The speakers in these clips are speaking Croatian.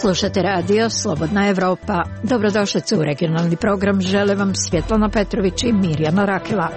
Slušate radio Slobodna Evropa. Dobrodošli u regionalni program. Žele vam Svjetlana Petrović i Mirjana Rakela.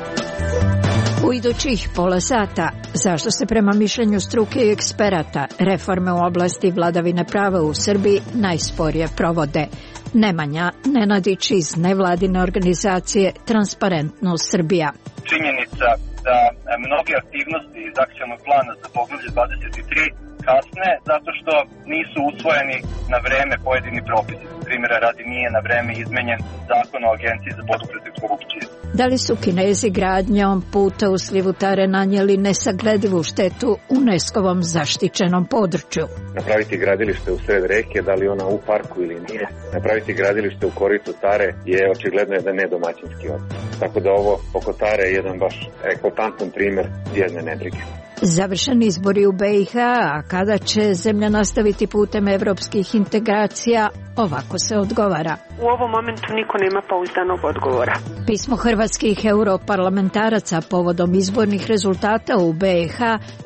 U idućih pola sata, zašto se prema mišljenju struke i eksperata reforme u oblasti vladavine prava u Srbiji najsporije provode. Nemanja Nenadić iz nevladine organizacije Transparentnost Srbija. Činjenica da mnoge aktivnosti iz akcionog plana za poglavlje 23 kasne zato što nisu usvojeni na vreme pojedini propisi. Primjera radi, nije na vreme izmenjen zakon o Agenciji za borbu protiv korupcije. Da li su Kinezi gradnjom puta u slivu Tare nanijeli nesagledivu štetu UNESCO-vom zaštićenom području? Napraviti gradilište u sred reke, da li ona u parku ili nije, napraviti gradilište u koritu Tare je očigledno jedan nedomaćinski odnos. Tako da ovo oko Tare je jedan baš eklatantan primjer jedne nebrige. Završeni izbori u BiH, a kada će zemlja nastaviti putem evropskih integracija, ovako se odgovara. U ovom momentu niko nema pouzdanog odgovora. Pismo hrvatskih europarlamentaraca povodom izbornih rezultata u BiH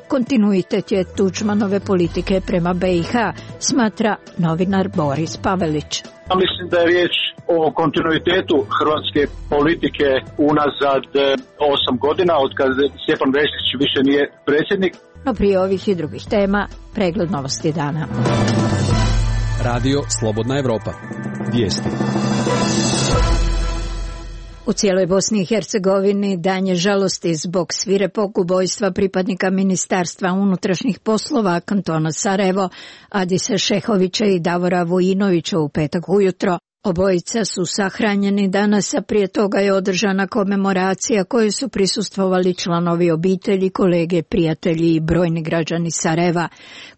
kontinuitet je Tuđmanove politike prema BiH, smatra novinar Boris Pavelić. Mislim da je riječ o kontinuitetu hrvatske politike unazad 8 godina, od kada Stjepan Mesić više nije predsjednik. No prije ovih i drugih tema, pregled novosti dana. Radio Slobodna Evropa. Vijesti. U cijeloj Bosni i Hercegovini dan je žalosti zbog svirepog ubojstva pripadnika Ministarstva unutrašnjih poslova kantona Sarajevo, Adise Šehovića i Davora Vujinovića u petak ujutro. Obojica su sahranjeni danas, a prije toga je održana komemoracija kojoj su prisustvovali članovi obitelji, kolege, prijatelji i brojni građani Sarajeva.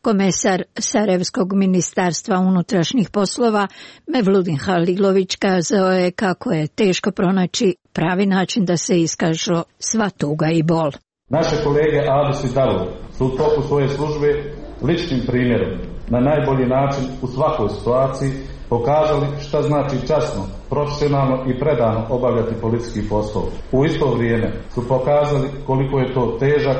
Komesar Sarajevskog ministarstva unutrašnjih poslova Mevludin Halilović kazao je kako je teško pronaći pravi način da se iskažu sva tuga i bol. Naše kolege Adis i Davor su u toku svoje službe ličnim primjerom na najbolji način u svakoj situaciji pokazali šta znači časno, profesionalno i predano obavljati policijski posao. U isto vrijeme su pokazali koliko je to težak,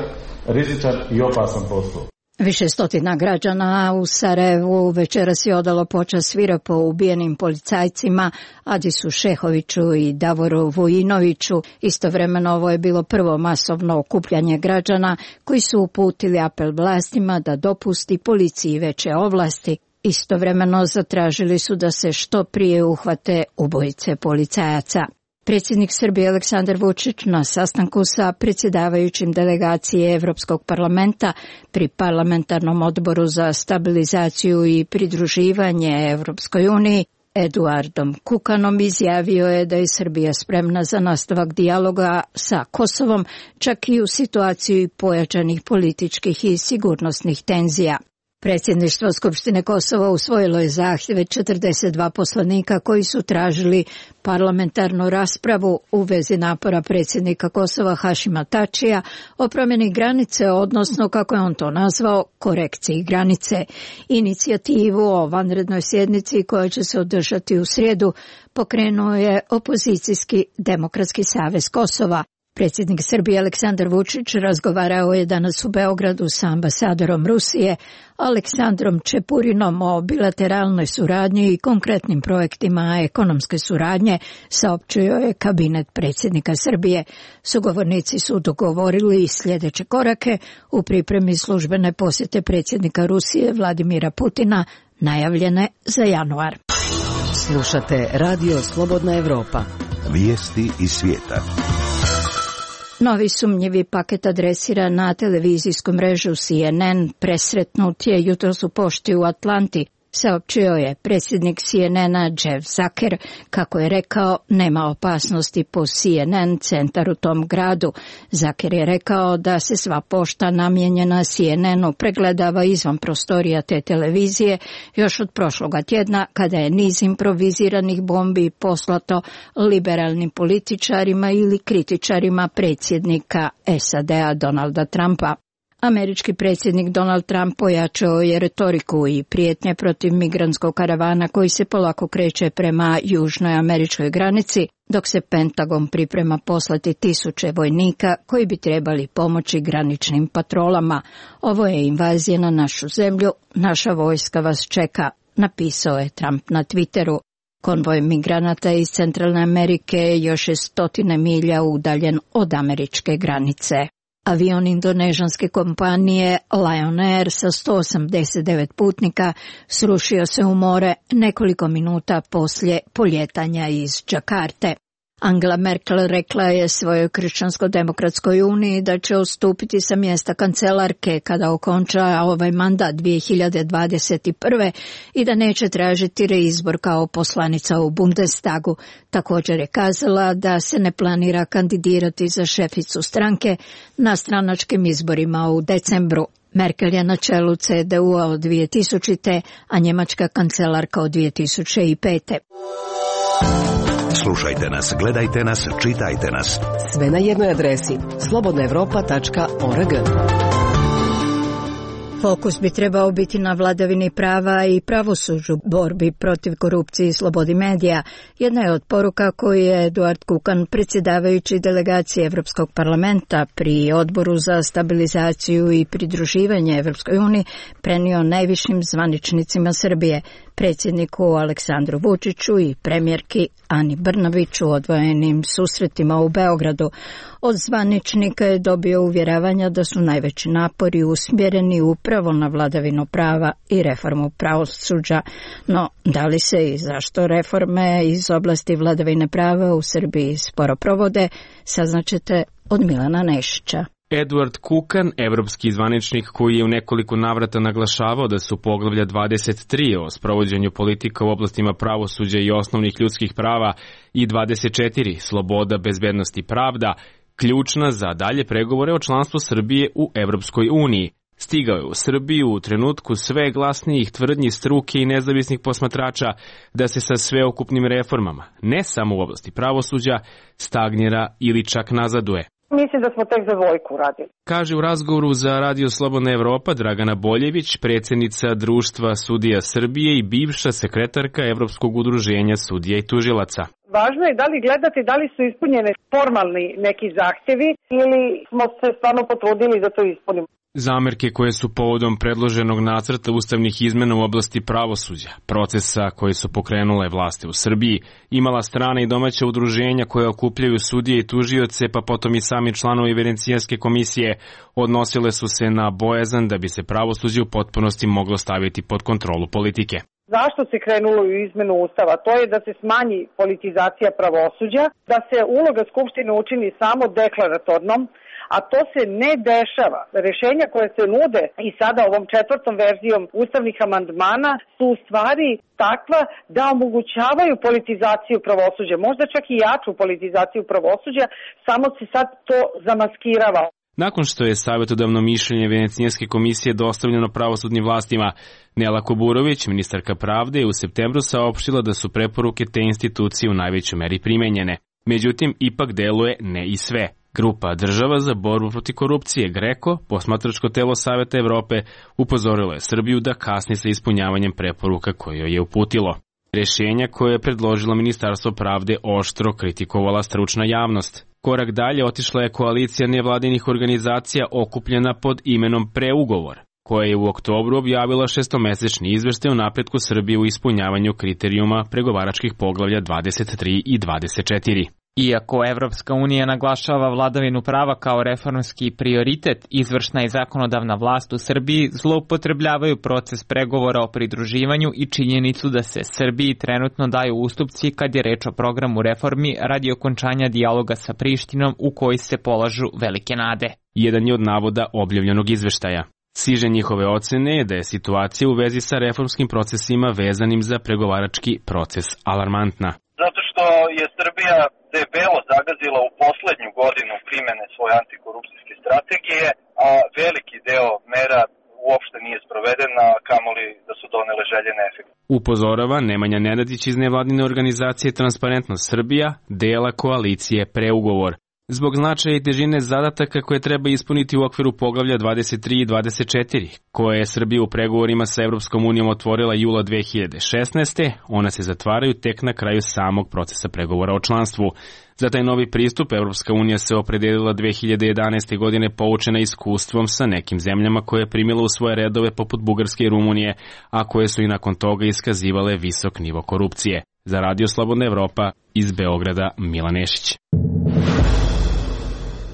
rizičan i opasan posao. Više stotina građana u Sarajevu večeras je odalo počast svirepo ubijenim policajcima Adisu Šehoviću i Davoru Vujinoviću. Istovremeno ovo je bilo prvo masovno okupljanje građana koji su uputili apel vlastima da dopusti policiji veće ovlasti. Istovremeno zatražili su da se što prije uhvate ubojice policajaca. Predsjednik Srbije Aleksandar Vučić na sastanku sa predsjedavajućim delegacije Evropskog parlamenta pri parlamentarnom odboru za stabilizaciju i pridruživanje Evropskoj uniji Eduardom Kukanom izjavio je da je Srbija spremna za nastavak dijaloga sa Kosovom, čak i u situaciji pojačanih političkih i sigurnosnih tenzija. Predsjedništvo Skupštine Kosova usvojilo je zahtjeve 42 poslanika koji su tražili parlamentarnu raspravu u vezi napora predsjednika Kosova Hašima Tačija o promjeni granice, odnosno, kako je on to nazvao, korekciji granice. Inicijativu o vanrednoj sjednici koja će se održati u srijedu pokrenuo je opozicijski Demokratski savez Kosova. Predsjednik Srbije Aleksandar Vučić razgovarao je danas u Beogradu sa ambasadorom Rusije Aleksandrom Čepurinom o bilateralnoj suradnji i konkretnim projektima ekonomske suradnje, saopćio je kabinet predsjednika Srbije. Sugovornici su dogovorili sljedeće korake u pripremi službene posjete predsjednika Rusije Vladimira Putina, najavljene za januar. Slušate Radio Slobodna Evropa. Vijesti iz svijeta. Novi sumnjivi paket adresira na televizijsku mrežu CNN presretnut je jutros u pošti u Atlanti, saopćio je predsjednik CNN-a Jeff Zucker. Kako je rekao, nema opasnosti po CNN centar u tom gradu. Zucker je rekao da se sva pošta namijenjena CNN-u pregledava izvan prostorija te televizije još od prošloga tjedna, kada je niz improviziranih bombi poslato liberalnim političarima ili kritičarima predsjednika SAD-a Donalda Trumpa. Američki predsjednik Donald Trump pojačao je retoriku i prijetnje protiv migrantskog karavana koji se polako kreće prema južnoj američkoj granici, dok se Pentagon priprema poslati 1000 vojnika koji bi trebali pomoći graničnim patrolama. Ovo je invazija na našu zemlju, naša vojska vas čeka, napisao je Trump na Twitteru. Konvoj migranata iz Centralne Amerike još je 100 milja udaljen od američke granice. Avion indonežanske kompanije Lion Air sa 189 putnika srušio se u more nekoliko minuta poslije poljetanja iz Đakarte. Angela Merkel rekla je svojoj Kršćansko-demokratskoj uniji da će odstupiti sa mjesta kancelarke kada okonča ovaj mandat 2021. i da neće tražiti reizbor kao poslanica u Bundestagu. Također je kazala da se ne planira kandidirati za šeficu stranke na stranačkim izborima u decembru. Merkel je na čelu CDU-a od 2000. a njemačka kancelarka od 2005. Slušajte nas, gledajte nas, čitajte nas. Sve na jednoj adresi slobodnaevropa.org. Fokus bi trebao biti na vladavini prava i pravosuđu, borbi protiv korupcije i slobodi medija. Jedna je od poruka koju je Eduard Kukan, predsjedavajući delegacije Europskog parlamenta pri Odboru za stabilizaciju i pridruživanje Europskoj uniji, prenio najvišim zvaničnicima Srbije, predsjedniku Aleksandru Vučiću i premijerki Ani Brnabić u odvojenim susretima u Beogradu. Od zvaničnika je dobio uvjeravanja da su najveći napori usmjereni upravo na vladavinu prava i reformu pravosuđa. No, da li se i zašto reforme iz oblasti vladavine prava u Srbiji sporo provode, saznaćete od Milana Nešića. Eduard Kukan, evropski zvaničnik koji je u nekoliko navrata naglašavao da su poglavlja 23 o sprovođenju politika u oblastima pravosuđa i osnovnih ljudskih prava i 24 sloboda, bezbednost i pravda ključna za dalje pregovore o članstvu Srbije u Evropskoj uniji. Stigao je u Srbiju u trenutku sve glasnijih tvrdnji struke i nezavisnih posmatrača da se sa sveokupnim reformama, ne samo u oblasti pravosuđa, stagnira ili čak nazaduje. Mislim da smo tek za dvojku radili. Kaže u razgovoru za Radio Slobodna Evropa Dragana Boljević, predsjednica Društva sudija Srbije i bivša sekretarka Evropskog udruženja sudija i tužilaca. Važno je da li gledati da li su ispunjene formalni neki zahtjevi ili smo se stvarno potrudili da to ispunimo. Zamerke koje su povodom predloženog nacrta ustavnih izmena u oblasti pravosuđa, procesa koje su pokrenule vlasti u Srbiji, imala strana i domaća udruženja koje okupljaju sudije i tužioce, pa potom i sami članovi Venecijanske komisije, odnosile su se na bojazan da bi se pravosuđe u potpunosti moglo staviti pod kontrolu politike. Zašto se krenulo u izmenu Ustava? To je da se smanji politizacija pravosuđa, da se uloga Skupštine učini samo deklaratornom, a to se ne dešava. Rešenja koje se nude i sada ovom 4. verzijom ustavnih amandmana su u stvari takva da omogućavaju politizaciju pravosuđa, možda čak i jaču politizaciju pravosuđa, samo se sad to zamaskirava. Nakon što je savjetodavno mišljenje Venecijanske komisije dostavljeno pravosudnim vlastima, Nela Kuburović, ministarka pravde, je u septembru saopštila da su preporuke te institucije u najvećoj meri primenjene. Međutim, ipak deluje ne i sve. Grupa država za borbu protiv korupcije GRECO, posmatračko telo Saveta Evrope, upozorilo je Srbiju da kasni sa ispunjavanjem preporuka koje joj je uputilo. Rješenja koje je predložilo Ministarstvo pravde oštro kritikovala stručna javnost. Korak dalje otišla je koalicija nevladinih organizacija okupljena pod imenom Preugovor, koja je u oktobru objavila 6-mesečni izveštaj o napretku Srbije u ispunjavanju kriterijuma pregovaračkih poglavlja 23 i 24. Iako Evropska unija naglašava vladavinu prava kao reformski prioritet, izvršna i zakonodavna vlast u Srbiji zloupotrebljavaju proces pregovora o pridruživanju i činjenicu da se Srbiji trenutno daju ustupci kad je reč o programu reformi radi okončanja dijaloga sa Prištinom u koji se polažu velike nade. Jedan je od navoda objavljenog izveštaja. Siže njihove ocene je da je situacija u vezi sa reformskim procesima vezanim za pregovarački proces alarmantna. Zato što je Srbija debelo zagazila u poslednju godinu primene svoje antikorupcijske strategije, a veliki deo mera uopšte nije sprovedena, kamoli da su donele željene efekte. Upozorava Nemanja Nenadić iz nevladine organizacije Transparentnost Srbija, dela koalicije Preugovor. zbog značaja i težine zadataka koje treba ispuniti u okviru poglavlja 23 i 24, koje je Srbija u pregovorima sa Evropskom unijom otvorila jula 2016. Ona se zatvaraju tek na kraju samog procesa pregovora o članstvu. Za taj novi pristup Evropska unija se opredelila 2011. godine poučena iskustvom sa nekim zemljama koje je primila u svoje redove poput Bugarske i Rumunije, a koje su i nakon toga iskazivale visok nivo korupcije. Za Radio Slobodna Evropa iz Beograda, Milan Nešić.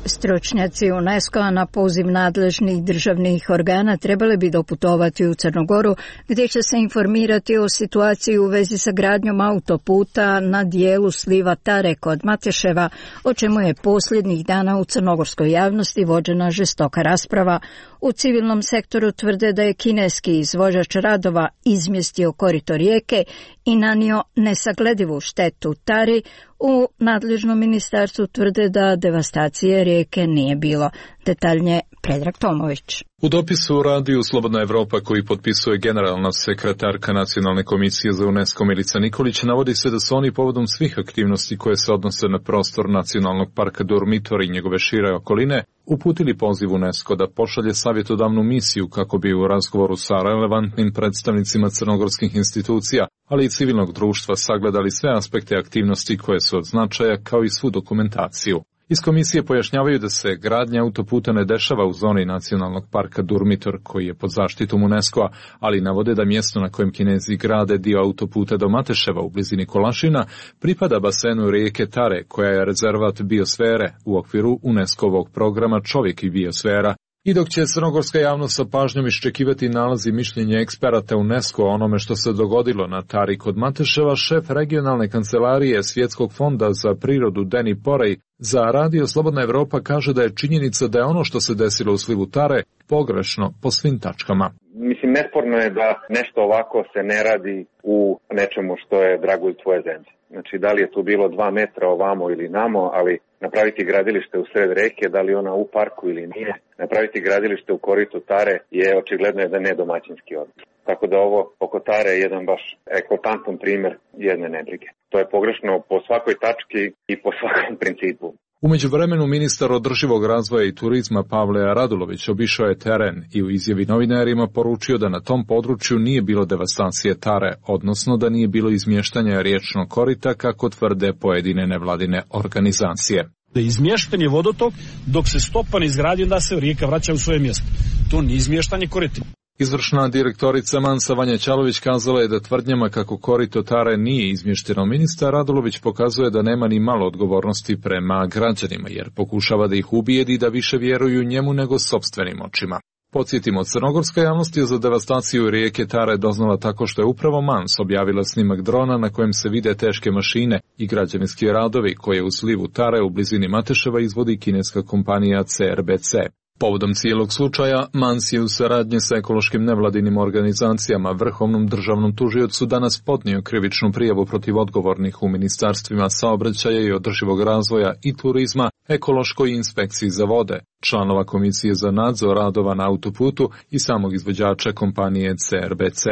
Stručnjaci UNESCO-a na poziv nadležnih državnih organa trebali bi doputovati u Crnogoru, gdje će se informirati o situaciji u vezi sa gradnjom autoputa na dijelu sliva Tare kod Mateševa, o čemu je posljednjih dana u crnogorskoj javnosti vođena žestoka rasprava. U civilnom sektoru tvrde da je kineski izvođač radova izmjestio korito rijeke i nanio nesagledivu štetu Tari. U nadležnom ministarstvu tvrde da devastacije rijeke nije bilo. Detaljnije Predrag Tomović. U dopisu Radiju Slobodna Evropa koji potpisuje generalna sekretarka Nacionalne komisije za UNESCO Milica Nikolić navodi se da su oni povodom svih aktivnosti koje se odnose na prostor Nacionalnog parka Durmitor i njegove šire okoline uputili poziv UNESCO da pošalje savjetodavnu misiju kako bi u razgovoru sa relevantnim predstavnicima crnogorskih institucija, ali i civilnog društva sagledali sve aspekte aktivnosti koje su od značaja kao i svu dokumentaciju. Iz komisije pojašnjavaju da se gradnja autoputa ne dešava u zoni Nacionalnog parka Durmitor, koji je pod zaštitom UNESCO-a, ali navode da mjesto na kojem Kinezi grade dio autoputa do Mateševa u blizini Kolašina pripada basenu rijeke Tare, koja je rezervat biosfere u okviru UNESCO-ovog programa Čovjek i biosfera. I dok će crnogorska javnost sa pažnjom iščekivati nalazi mišljenja eksperata UNESCO o onome što se dogodilo na Tari kod Mateševa, šef regionalne kancelarije Svjetskog fonda za prirodu Deni Porej za Radio Slobodna Evropa kaže da je činjenica da je ono što se desilo u slivu Tare pogrešno po svim tačkama. Mislim, nesporno je da nešto ovako se ne radi u nečemu što je dragulj tvoje zemlje. Znači, da li je tu bilo 2 metra ovamo ili namo, ali napraviti gradilište u sred reke, da li ona u parku ili nije, napraviti gradilište u koritu Tare je očigledno jedan nedomaćinski odnos. Tako da ovo oko Tare je jedan baš eklatantan primjer jedne nebrige. To je pogrešno po svakoj tački i po svakom principu. U međuvremenu ministar održivog razvoja i turizma Pavle Radulović obišao je teren i u izjavi novinarima poručio da na tom području nije bilo devastacije Tare, odnosno da nije bilo izmještanja riječnog korita kako tvrde pojedine nevladine organizacije. Da izmješten je vodotok, dok se stopa ne izgradi, onda se rijeka vraća u svoje mjesto. To nije izmještanje korita. Izvršna direktorica Mansa Vanja Ćalović kazala je da tvrdnjama kako korito Tare nije izmješteno. Ministar Radulović pokazuje da nema ni malo odgovornosti prema građanima, jer pokušava da ih ubijedi da više vjeruju njemu nego sopstvenim očima. Podsjetimo, crnogorska javnost je za devastaciju rijeke Tare doznala tako što je upravo Mans objavila snimak drona na kojem se vide teške mašine i građevinski radovi koje u slivu Tare u blizini Mateševa izvodi kineska kompanija CRBC. Povodom cijelog slučaja, Mans je u saradnji sa ekološkim nevladinim organizacijama Vrhovnom državnom tužiocu danas podnio krivičnu prijavu protiv odgovornih u ministarstvima saobraćaja i održivog razvoja i turizma, ekološkoj inspekciji za vode, članova komisije za nadzor radova na autoputu i samog izvođača kompanije CRBC.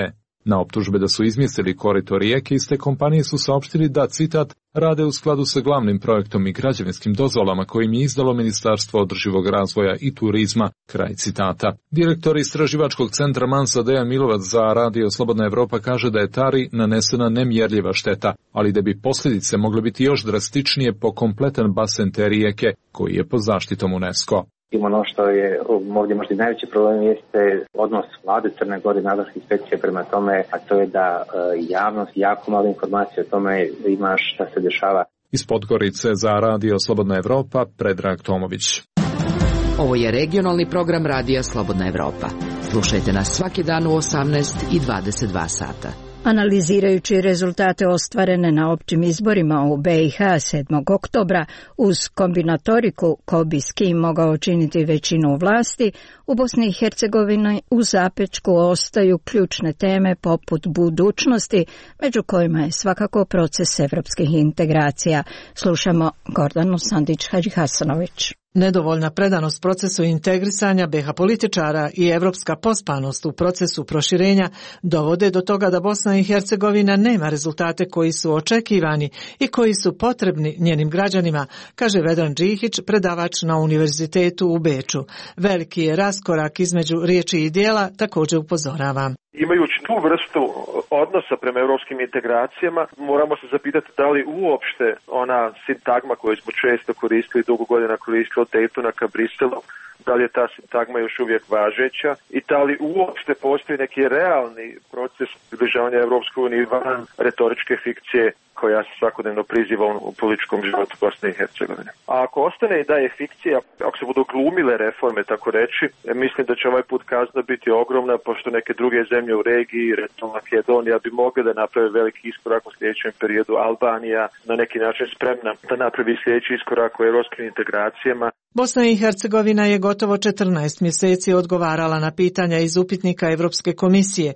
Na optužbe da su izmislili korito rijeke, iste kompanije su saopštili da, citat, rade u skladu sa glavnim projektom i građevinskim dozvolama kojim je izdalo Ministarstvo održivog razvoja i turizma, kraj citata. Direktor istraživačkog centra Mansa Dejan Milovac za Radio Slobodna Evropa kaže da je Tari nanesena nemjerljiva šteta, ali da bi posljedice mogle biti još drastičnije po kompletan basen te rijeke koji je pod zaštitom UNESCO. Ono što je ovdje možda najveći problem jeste odnos vlade Crne Gore i nadležnih inspekcija prema tome, a to je da javnost jako malo informacije o tome ima šta se dešava. Iz Podgorice za Radio Slobodna Evropa, Predrag Tomović. Ovo je regionalni program Radija Slobodna Evropa. Slušajte nas svaki dan u 18 i 22 sata. Analizirajući rezultate ostvarene na općim izborima u BiH 7. oktobra uz kombinatoriku ko bi s kim mogao činiti većinu vlasti, u Bosni i Hercegovini u zapečku ostaju ključne teme poput budućnosti, među kojima je svakako proces evropskih integracija. Slušamo Gordanu Sandić-Hadžihasanović. Nedovoljna predanost procesu integrisanja BiH političara i evropska pospanost u procesu proširenja dovode do toga da Bosna i Hercegovina nema rezultate koji su očekivani i koji su potrebni njenim građanima, kaže Vedran Džihić, predavač na univerzitetu u Beču. Veliki je raskorak između riječi i dijela, također upozorava. Imajući tu vrstu odnosa prema europskim integracijama, moramo se zapitati da li uopšte ona sintagma koju smo često koristili, dugo godina koristili od Daytona ka Briselu, da li je ta sintagma još uvijek važeća i da li uopšte postoji neki realni proces približavanja Europskoj uniji van retoričke fikcije koja se svakodnevno priziva u političkom životu Bosne i Hercegovine. A ako ostane i da je fikcija, ako se budu glumile reforme, tako reći, mislim da će ovaj put kazna biti ogromna, pošto neke druge zemlje u regiji, recimo Makedonija, bi mogle da naprave veliki iskorak u sljedećem periodu. Albanija na neki način spremna da napravi sljedeći iskorak u europskim integracijama. Bosna i Hercegovina je gotovo 14 mjeseci odgovarala na pitanja iz upitnika Europske komisije.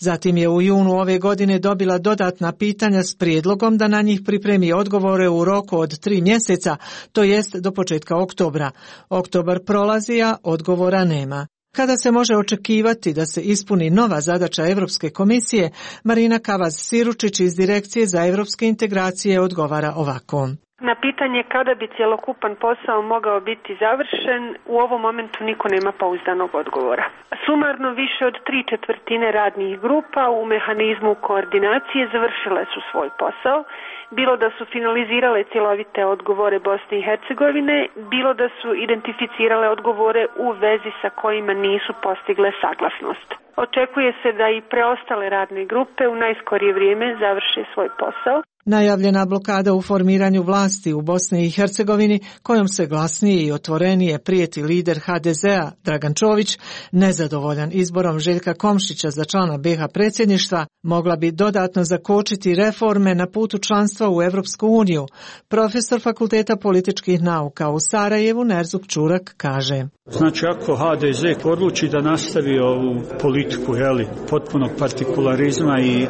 Zatim je u junu ove godine dobila dodatna pitanja s prijedlogom da na njih pripremi odgovore u roku od 3 mjeseca, to jest do početka oktobra. Oktobar prolazi, a odgovora nema. Kada se može očekivati da se ispuni nova zadaća Europske komisije, Marina Kavaz-Siručić iz Direkcije za europske integracije odgovara ovako. Na pitanje kada bi cjelokupan posao mogao biti završen, u ovom momentu niko nema pouzdanog odgovora. Sumarno više od 3/4 radnih grupa u mehanizmu koordinacije završile su svoj posao, bilo da su finalizirale cjelovite odgovore Bosne i Hercegovine, bilo da su identificirale odgovore u vezi sa kojima nisu postigle saglasnost. Očekuje se da i preostale radne grupe u najskorije vrijeme završe svoj posao. Najavljena blokada u formiranju vlasti u Bosni i Hercegovini, kojom se glasnije i otvorenije prijeti lider HDZ-a Dragan Čović, nezadovoljan izborom Željka Komšića za člana BiH predsjedništva, mogla bi dodatno zakočiti reforme na putu članstva u Europsku uniju. Profesor Fakulteta političkih nauka u Sarajevu Nerzuk Čurak kaže. Znači, ako HDZ odluči da nastavi ovu politiku potpunog partikularizma i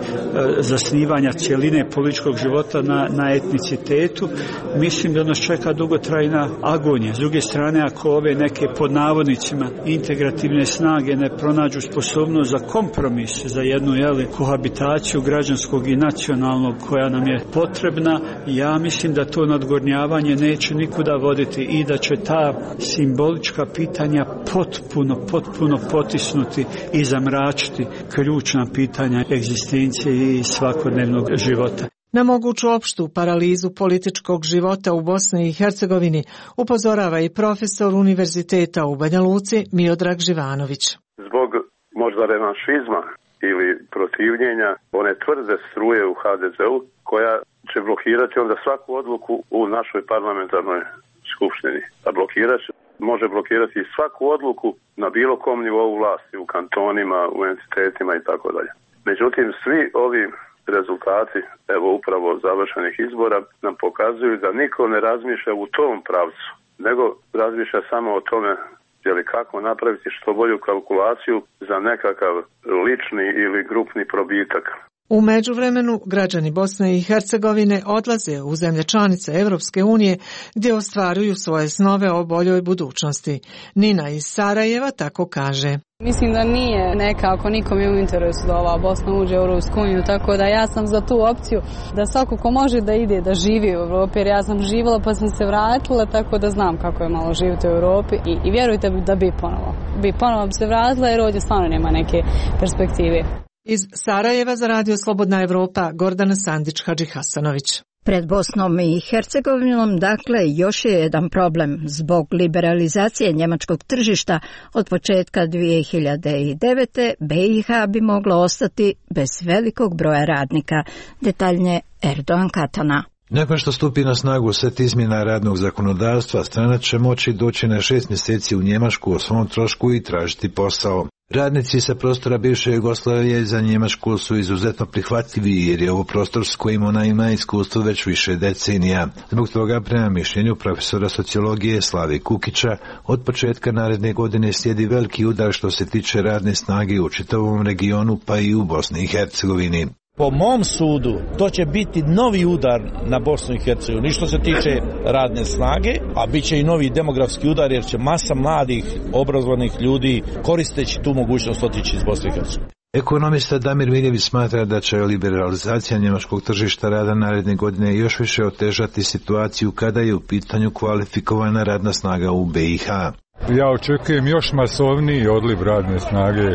zasnivanja cjeline političkog života na etnicitetu, mislim da nas čeka dugotrajna agonija. S druge strane, ako ove neke pod navodnicima integrativne snage ne pronađu sposobnost za kompromis, za jednu kohabitaciju građanskog i nacionalnog koja nam je potrebna, ja mislim da to nadgornjavanje neće nikuda voditi i da će ta simbolička pitanja potpuno potisnuti i zamračiti ključna pitanja egzistencije i svakodnevnog života. Na moguću opštu paralizu političkog života u Bosni i Hercegovini upozorava i profesor univerziteta u Banja Luci Miodrag Živanović. Zbog možda revanšizma ili protivljenja one tvrde struje u HDZ-u koja će blokirati onda svaku odluku u našoj parlamentarnoj skupštini. A može blokirati svaku odluku na bilo kom nivou vlasti, u kantonima, u entitetima i tako dalje. Međutim, svi ovi rezultati, evo upravo završenih izbora, nam pokazuju da niko ne razmišlja u tom pravcu, nego razmišlja samo o tome kako napraviti što bolju kalkulaciju za nekakav lični ili grupni probitak. U međuvremenu građani Bosne i Hercegovine odlaze u zemlje članice Europske unije gdje ostvaruju svoje snove o boljoj budućnosti. Nina iz Sarajeva tako kaže. Mislim da nije nekako nikom je u interesu da ova Bosna uđe u Europsku uniju, tako da ja sam za tu opciju da svako ko može da ide, da živi u Europi, jer ja sam živjela pa sam se vratila, tako da znam kako je malo živjeti u Europi i vjerujte da bi ponovo bi se vratila jer ovdje stvarno nema neke perspektive. Iz Sarajeva za Radio Slobodna Evropa Gordana Sandić-Hadžihasanović. Pred Bosnom i Hercegovinom, dakle, još je jedan problem. Zbog liberalizacije njemačkog tržišta od početka 2009. BiH bi moglo ostati bez velikog broja radnika. Detaljnije Erdogan Katana. Nakon što stupi na snagu set izmjena radnog zakonodavstva, stranac će moći doći na 6 mjeseci u Njemačku o svom trošku i tražiti posao. Radnici sa prostora bivše Jugoslavije za Njemačku su izuzetno prihvatljivi jer je ovo prostor s kojim ona ima iskustvo već više decenija. Zbog toga, prema mišljenju profesora sociologije Slavi Kukića, od početka naredne godine slijedi veliki udar što se tiče radne snage u čitavom regionu pa i u Bosni i Hercegovini. Po mom sudu, to će biti novi udar na Bosnu i Hercegovinu, što se tiče radne snage, a bit će i novi demografski udar, jer će masa mladih, obrazovanih ljudi koristeći tu mogućnost otići iz Bosne i Hercegovine. Ekonomista Damir Miljević smatra da će liberalizacija njemačkog tržišta rada naredne godine još više otežati situaciju kada je u pitanju kvalifikovana radna snaga u BiH. Ja očekujem još masovniji odliv radne snage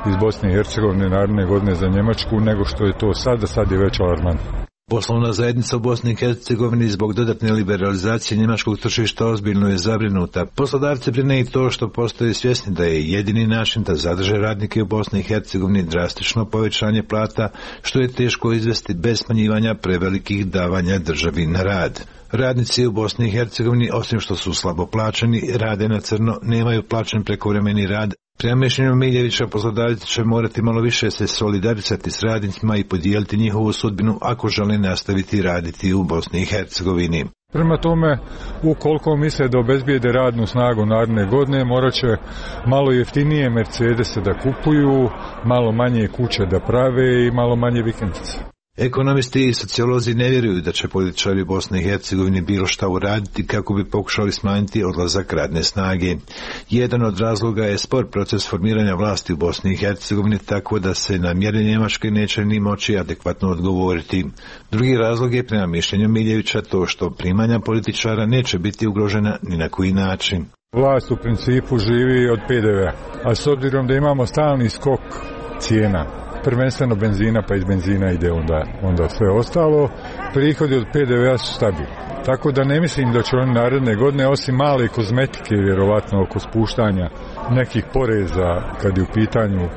iz Bosne i Hercegovine naredne godine za Njemačku nego što je to sada. Sad je već alarmantno. Poslovna zajednica u Bosni i Hercegovini zbog dodatne liberalizacije njemačkog tržišta ozbiljno je zabrinuta. Poslodavci brine i to što postoje svjesni da je jedini način da zadrže radnike u Bosni i Hercegovini drastično povećanje plata, što je teško izvesti bez smanjivanja prevelikih davanja državi na rad. Radnici u Bosni i Hercegovini, osim što su slabo plaćeni, rade na crno, nemaju plaćen prekovremeni rad. Prema mišljenju Miljevića, poslodavci će morati malo više se solidarisati s radnicima i podijeliti njihovu sudbinu ako žele nastaviti raditi u Bosni i Hercegovini. Prema tome, ukoliko misle da obezbijede radnu snagu naredne godine, morat će malo jeftinije Mercedese da kupuju, malo manje kuće da prave i malo manje vikendice. Ekonomisti i sociolozi ne vjeruju da će političari u Bosni i Hercegovini bilo šta uraditi kako bi pokušali smanjiti odlazak radne snage. Jedan od razloga je spor proces formiranja vlasti u Bosni i Hercegovini, tako da se na mjere Njemačke neće ni moći adekvatno odgovoriti. Drugi razlog je, prema mišljenju Miljevića, to što primanja političara neće biti ugrožena ni na koji način. Vlast u principu živi od PDV-a, a s obzirom da imamo stalni skok cijena, prvenstveno benzina, pa iz benzina ide onda sve ostalo, prihodi od PDV-a su stabilni. Tako da ne mislim da će oni naredne godine, osim male kozmetike, vjerovatno oko spuštanja nekih poreza kad je u pitanju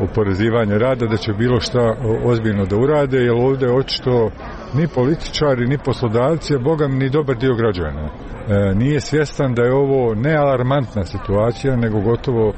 oporezivanje rada, da će bilo šta ozbiljno da urade, jer ovdje očito ni političari, ni poslodavci, a boga mi ni dobar dio građana nije svjestan da je ovo ne alarmantna situacija, nego gotovo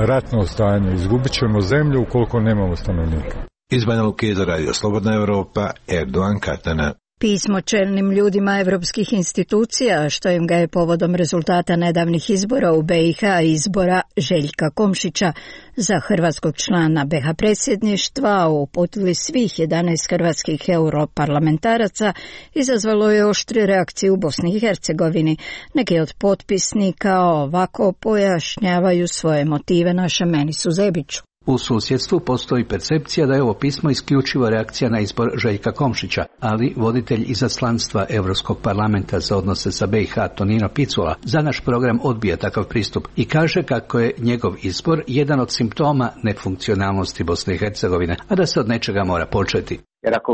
ratno stanje. Izgubit ćemo zemlju ukoliko nemamo stanovnika. Iz Banja Luke za Radio Slobodna Evropa, Erdogan Katana. Pismo čelnim ljudima evropskih institucija, što im ga je povodom rezultata nedavnih izbora u BiH i izbora Željka Komšića za hrvatskog člana BiH predsjedništva uputili svih 11 hrvatskih europarlamentaraca, izazvalo je oštre reakcije u Bosni i Hercegovini. Neki od potpisnika ovako pojašnjavaju svoje motive našem Menisu Zebiću. U susjedstvu postoji percepcija da je ovo pismo isključivo reakcija na izbor Željka Komšića, ali voditelj izaslanstva Europskog parlamenta za odnose sa BiH Tonino Picula za naš program odbija takav pristup i kaže kako je njegov izbor jedan od simptoma nefunkcionalnosti Bosne i Hercegovine, a da se od nečega mora početi. Jer ako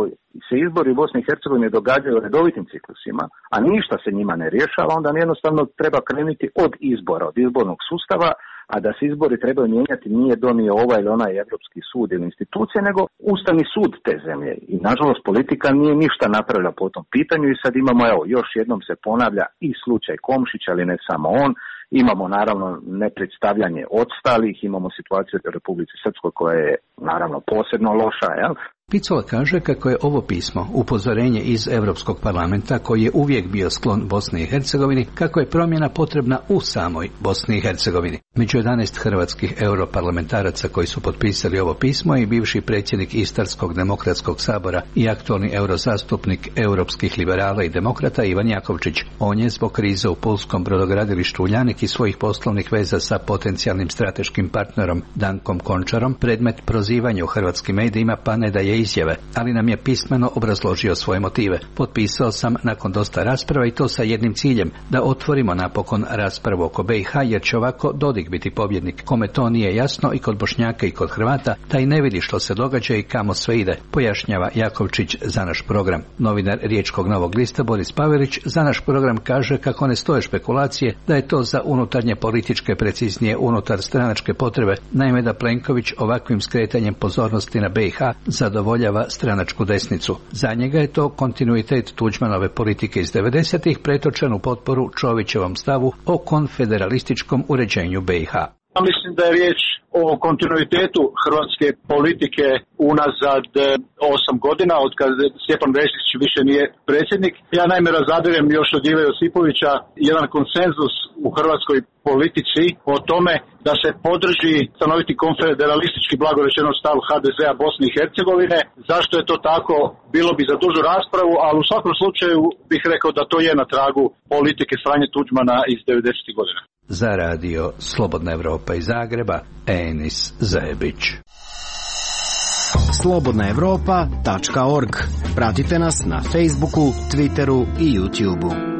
se izbori u Bosni i Hercegovini događaju u redovitim ciklusima, a ništa se njima ne rješava, onda jednostavno treba krenuti od izbora, od izbornog sustava, a da se izbori trebaju mijenjati nije donio ovaj ili onaj Europski sud ili institucija, nego Ustavni sud te zemlje. I nažalost politika nije ništa napravila po tom pitanju i sad imamo, evo, još jednom se ponavlja i slučaj Komšića, ali ne samo on. Imamo naravno nepredstavljanje odstalih, imamo situaciju u Republici Srpskoj koja je naravno posebno loša, jel? Picula kaže kako je ovo pismo upozorenje iz Europskog parlamenta, koji je uvijek bio sklon Bosni i Hercegovini, kako je promjena potrebna u samoj Bosni i Hercegovini. Među 11 hrvatskih europarlamentaraca koji su potpisali ovo pismo i bivši predsjednik Istarskog demokratskog sabora i aktualni eurozastupnik europskih liberala i demokrata Ivan Jakovčić. On je zbog krize u pulskom brodogradilištu Uljanik i svojih poslovnih veza sa potencijalnim strateškim partnerom Dankom Končarom predmet prozivanja u hrvatskim medijima, pa ne daje izjave, ali nam je pismeno obrazložio svoje motive. Potpisao sam nakon dosta rasprava i to sa jednim ciljem, da otvorimo napokon raspravu oko BiH, jer će ovako Dodik biti pobjednik. Kome to nije jasno i kod Bošnjaka i kod Hrvata, taj ne vidi što se događa i kamo sve ide, pojašnjava Jakovčić za naš program. Novinar Riječkog Novog lista Boris Pavelić za naš program kaže kako ne stoje špekulacije da je to za unutarnje političke, preciznije unutar stranačke potrebe, naime da Plenković ovakvim skretanjem pozornosti na BiH zadovoljava stranačku desnicu. Za njega je to kontinuitet Tuđmanove politike iz 90-ih pretočen u potporu Čovićevom stavu o konfederalističkom uređenju BiH. Mislim da je riječ o kontinuitetu hrvatske politike unazad 8 godina, od kad Stjepan Mesić više nije predsjednik. Ja naime razabirem još od Ive Josipovića jedan konsenzus u hrvatskoj politici o tome da se podrži stanoviti konfederalistički blagorečeno stav HDZ-a Bosne i Hercegovine. Zašto je to tako? Bilo bi za dužu raspravu, ali u svakom slučaju bih rekao da to je na tragu politike Franje Tuđmana iz 90. godina. Za radio Slobodna Evropa iz Zagreba, Enis Zajebić. slobodnaevropa.org. Pratite nas na Facebooku, Twitteru i YouTubeu.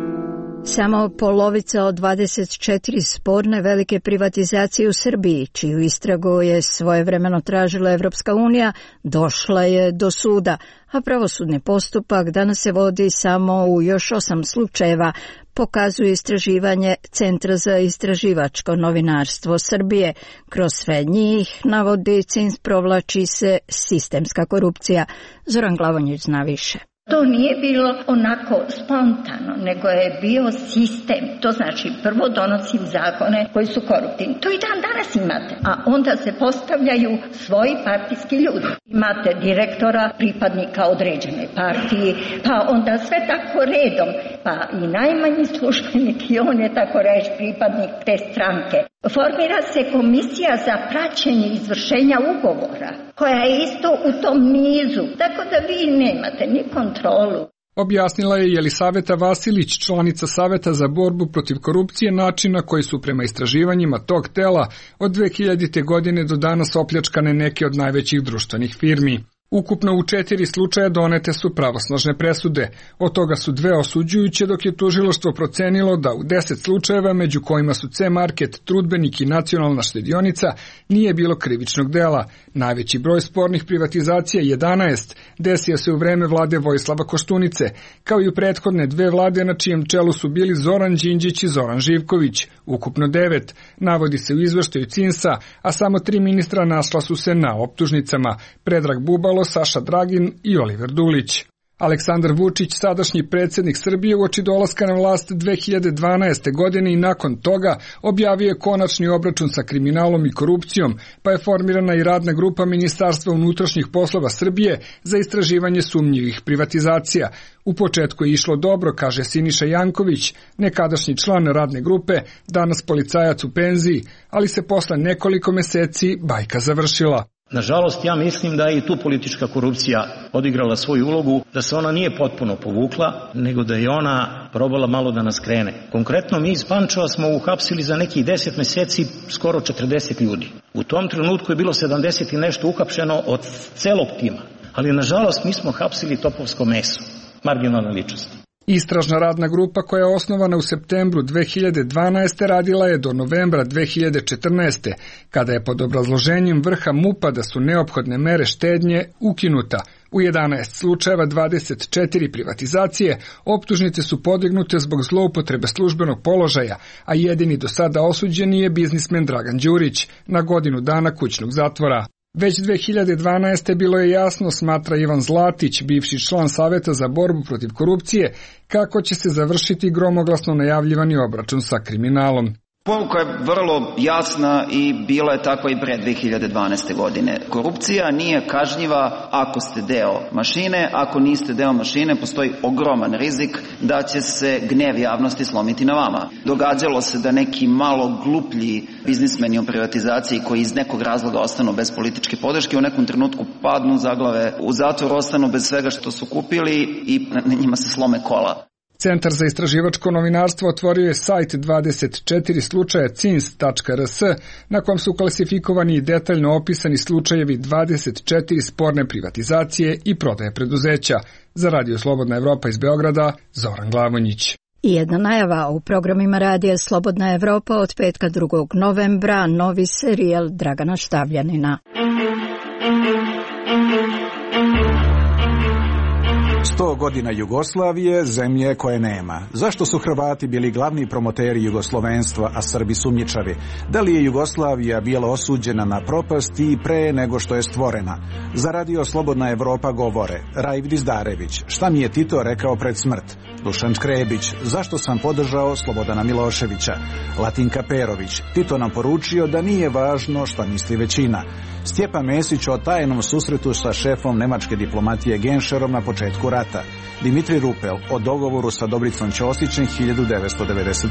Samo polovica od 24 sporne velike privatizacije u Srbiji, čiju istragu je svojevremeno tražila Evropska unija, došla je do suda, a pravosudni postupak danas se vodi samo u još 8 slučajeva, pokazuje istraživanje Centra za istraživačko novinarstvo Srbije. Kroz sve njih, navodi CINS, provlači se sistemska korupcija. Zoran Glavonjić zna više. To nije bilo onako spontano, nego je bio sistem. To znači prvo donosim zakone koji su koruptivni. To i dan danas imate. A onda se postavljaju svoji partijski ljudi. Imate direktora, pripadnika određene partije, pa onda sve tako redom. Pa i najmanji službenik i on je tako reći pripadnik te stranke. Formira se komisija za praćenje izvršenja ugovora, koja je isto u tom nizu, tako da vi nemate ni kontrolu. Objasnila je Jelisaveta Vasilić, članica Saveta za borbu protiv korupcije, načina koji su prema istraživanjima tog tela od 2000. godine do danas opljačkane neke od najvećih društvenih firmi. Ukupno u 4 slučaja donete su pravosnažne presude, od toga su 2 osuđujuće, dok je tužilaštvo procenilo da u 10 slučajeva, među kojima su C-Market, Trudbenik i Nacionalna štedionica, nije bilo krivičnog dela. Najveći broj spornih privatizacija, 11, desio se u vreme vlade Vojislava Koštunice, kao i u prethodne 2 vlade na čijem čelu su bili Zoran Đinđić i Zoran Živković. Ukupno 9, navodi se u izveštaju CINS-a, a samo 3 ministra našla su se na optužnicama: Predrag Bubalo, Saša Dragin i Oliver Dulić. Aleksandar Vučić, sadašnji predsjednik Srbije, uoči dolaska na vlast 2012. godine i nakon toga objavio je konačni obračun sa kriminalom i korupcijom, pa je formirana i radna grupa Ministarstva unutrašnjih poslova Srbije za istraživanje sumnjivih privatizacija. U početku je išlo dobro, kaže Siniša Janković, nekadašnji član radne grupe, danas policajac u penziji, ali se posle nekoliko meseci bajka završila. Nažalost, ja mislim da je i tu politička korupcija odigrala svoju ulogu, da se ona nije potpuno povukla, nego da je ona probala malo da nas krene. Konkretno, mi iz Pančeva smo uhapsili za nekih 10 meseci skoro 40 ljudi. U tom trenutku je bilo 70 i nešto uhapšeno od celog tima. Ali, nažalost, mi smo hapsili topovsko meso, marginalne ličnosti. Istražna radna grupa, koja je osnovana u septembru 2012. radila je do novembra 2014. kada je pod obrazloženjem vrha MUP-a da su neophodne mere štednje ukinuta. U 11 slučajeva 24 privatizacije optužnice su podignute zbog zloupotrebe službenog položaja, a jedini do sada osuđeni je biznismen Dragan Đurić na godinu dana kućnog zatvora. Već 2012. bilo je jasno, smatra Ivan Zlatić, bivši član Saveta za borbu protiv korupcije, kako će se završiti gromoglasno najavljivani obračun sa kriminalom. Poruka je vrlo jasna i bila je tako i pre 2012. godine. Korupcija nije kažnjiva ako ste deo mašine, ako niste deo mašine postoji ogroman rizik da će se gnev javnosti slomiti na vama. Događalo se da neki malo gluplji biznismeni u privatizaciji koji iz nekog razloga ostanu bez političke podrške u nekom trenutku padnu zaglave u zatvor, ostanu bez svega što su kupili i na njima se slome kola. Centar za istraživačko novinarstvo otvorio je sajt 24 slučaja cins.rs na kom su klasifikovani i detaljno opisani slučajevi 24 sporne privatizacije i prodaje preduzeća. Za Radio Slobodna Evropa iz Beograda, Zoran Glavonjić. I jedna najava u programima Radija Slobodna Evropa od petka 2. novembra, novi serijal Dragana Štavljanina. 100 godina Jugoslavije, zemlje koje nema. Zašto su Hrvati bili glavni promoteri jugoslovenstva, a Srbi sumnjičavi? Da li je Jugoslavija bila osuđena na propast i pre nego što je stvorena? Za Radio Slobodna Evropa govore Raif Dizdarević, šta mi je Tito rekao pred smrt? Dušan Škrebić, zašto sam podržao Slobodana Miloševića? Latinka Perović, Tito nam poručio da nije važno šta misli većina. Stjepan Mesić o tajnom susretu sa šefom nemačke diplomatije Genšerom na početku rata. rata. Dimitri Rupel o dogovoru sa Dobricom Ćosićem 1991.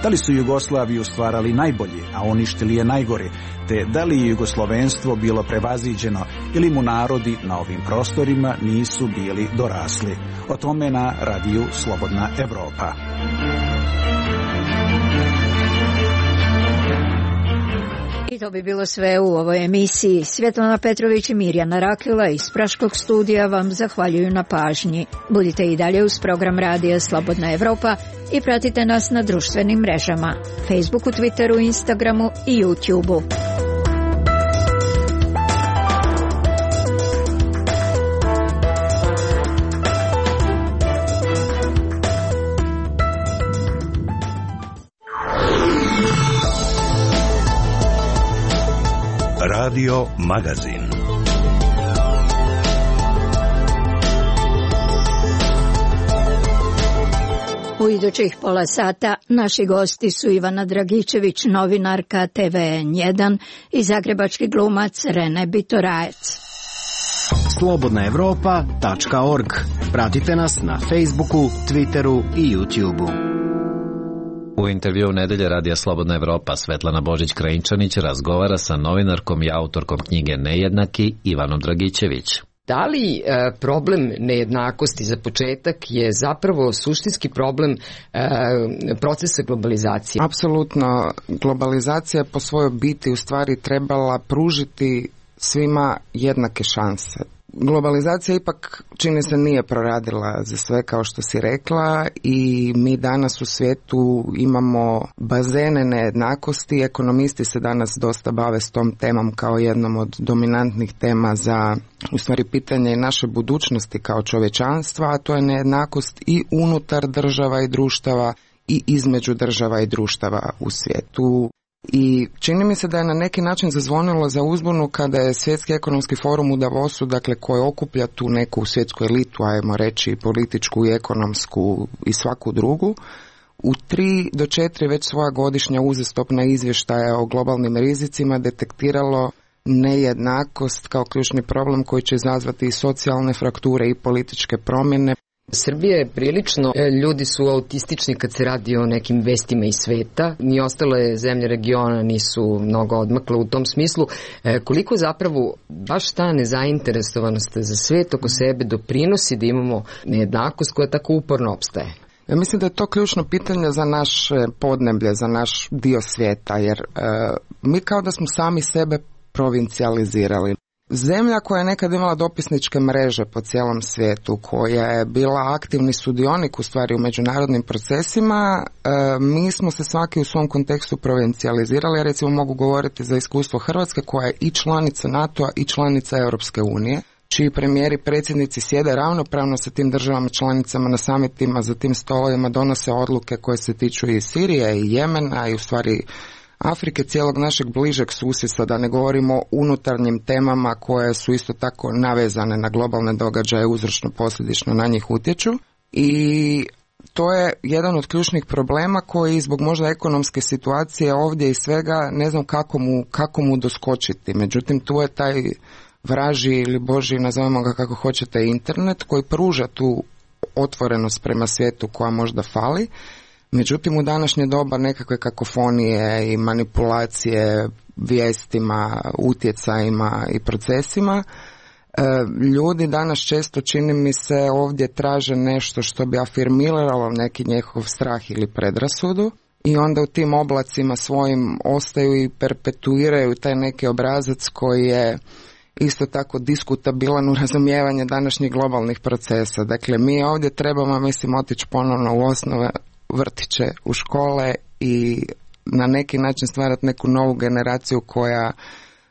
Da li su Jugoslaviju stvarali najbolji, a uništili je najgori, te da li je jugoslovenstvo bilo prevaziđeno ili mu narodi na ovim prostorima nisu bili dorasli? O tome na radiju Slobodna Evropa. I to bi bilo sve u ovoj emisiji. Svjetlana Petrović i Mirjana Rakila iz Praškog studija vam zahvaljuju na pažnji. Budite i dalje uz program radija Slobodna Evropa i pratite nas na društvenim mrežama, Facebooku, Twitteru, Instagramu i YouTubeu. Radio Magazin. U idućih pola sata naši gosti su Ivana Dragičević, novinarka TVN1 i zagrebački glumac Rene Bitorajec. Slobodnaevropa.org. Pratite nas na Facebooku, Twitteru i YouTubeu. U intervjuu Nedelje radija Slobodna Evropa Svetlana Božić-Krajinčanić razgovara sa novinarkom i autorkom knjige Nejednaki Ivanom Dragičević. Da li problem nejednakosti za početak je zapravo suštinski problem procesa globalizacije? Apsolutno. Globalizacija po svojoj biti u stvari trebala pružiti svima jednake šanse. Globalizacija ipak, čini se, nije proradila za sve kao što si rekla i mi danas u svijetu imamo bazene nejednakosti. Ekonomisti se danas dosta bave s tom temom kao jednom od dominantnih tema za u stvari pitanje naše budućnosti kao čovječanstva, a to je nejednakost i unutar država i društava i između država i društava u svijetu. I čini mi se da je na neki način zazvonilo za uzbunu kada je Svjetski ekonomski forum u Davosu, dakle koji okuplja tu neku svjetsku elitu, ajmo reći političku i ekonomsku i svaku drugu, u 3 do 4 već svoja godišnja uzastopna izvještaja o globalnim rizicima detektiralo nejednakost kao ključni problem koji će izazvati i socijalne frakture i političke promjene. Srbija je prilično, ljudi su autistični kad se radi o nekim vestima iz sveta, ni ostale zemlje regiona nisu mnogo odmakle u tom smislu. Koliko zapravo baš ta nezainteresovanost za svet oko sebe doprinosi da imamo nejednakost koja tako uporno opstaje? Ja mislim da je to ključno pitanje za naš podneblje, za naš dio svijeta, jer mi kao da smo sami sebe provincijalizirali. Zemlja koja je nekad imala dopisničke mreže po cijelom svijetu, koja je bila aktivni sudionik u stvari u međunarodnim procesima, mi smo se svaki u svom kontekstu provincijalizirali. Ja recimo mogu govoriti za iskustvo Hrvatske koja je i članica NATO-a i članica Europske unije, čiji premijeri, predsjednici sjede ravnopravno sa tim državama članicama na samitima, za tim stolovima donose odluke koje se tiču i Sirije i Jemena i u stvari Afrike, cijelog našeg bližeg susjedstva, da ne govorimo o unutarnjim temama koje su isto tako navezane na globalne događaje, uzročno posljedično na njih utječu. I to je jedan od ključnih problema koji zbog možda ekonomske situacije ovdje i svega ne znam kako mu doskočiti. Međutim, tu je taj vražji ili božji, nazovemo ga kako hoćete, internet koji pruža tu otvorenost prema svijetu koja možda fali. Međutim, u današnje doba nekakve kakofonije i manipulacije vijestima, utjecajima i procesima, ljudi danas često, čini mi se, ovdje traže nešto što bi afirmiralo neki njihov strah ili predrasudu i onda u tim oblacima svojim ostaju i perpetuiraju taj neki obrazac koji je isto tako diskutabilan u razumijevanju današnjih globalnih procesa. Dakle, mi ovdje trebamo, mislim, otići ponovno u osnove, vrtiće, u škole i na neki način stvarati neku novu generaciju koja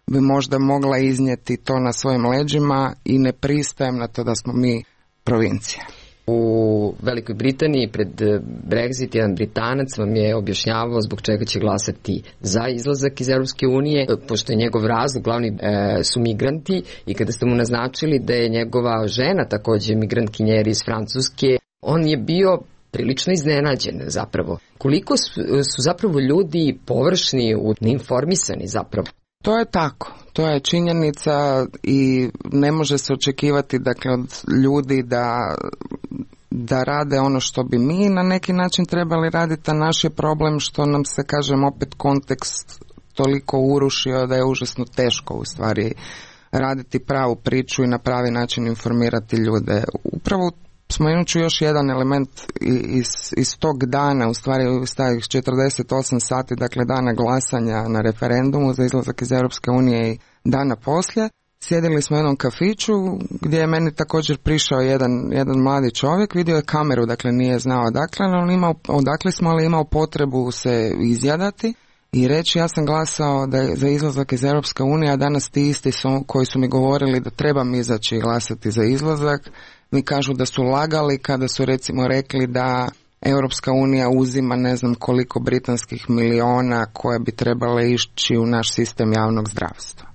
bi možda mogla iznijeti to na svojim leđima i ne pristajem na to da smo mi provincija. U Velikoj Britaniji pred Brexit jedan Britanac vam je objašnjavao zbog čega će glasati za izlazak iz Europske unije, pošto je njegov razlog glavni su migranti, i kada ste mu naznačili da je njegova žena također migrantkinjer iz Francuske, on je bio prilično iznenađen zapravo. Koliko su zapravo ljudi površni, neinformisani zapravo? To je tako, to je činjenica i ne može se očekivati dakle od ljudi da rade ono što bi mi na neki način trebali raditi, a naš je problem što nam se, kažem, opet kontekst toliko urušio da je užasno teško u stvari raditi pravu priču i na pravi način informirati ljude. Upravo spomenut ću još jedan element iz tog dana, u stvari iz 48 sati, dakle dana glasanja na referendumu za izlazak iz Europske unije i dana poslije. Sjedili smo u jednom kafiću gdje je meni također prišao jedan mladi čovjek, vidio je kameru, dakle nije znao odakle smo, ali imao potrebu se izjadati i reći ja sam glasao za izlazak iz Europske unije, a danas ti isti koji su mi govorili da trebam izaći i glasati za izlazak, mi kažu da su lagali kada su recimo rekli da Europska unija uzima ne znam koliko britanskih miliona koje bi trebale ići u naš sistem javnog zdravstva.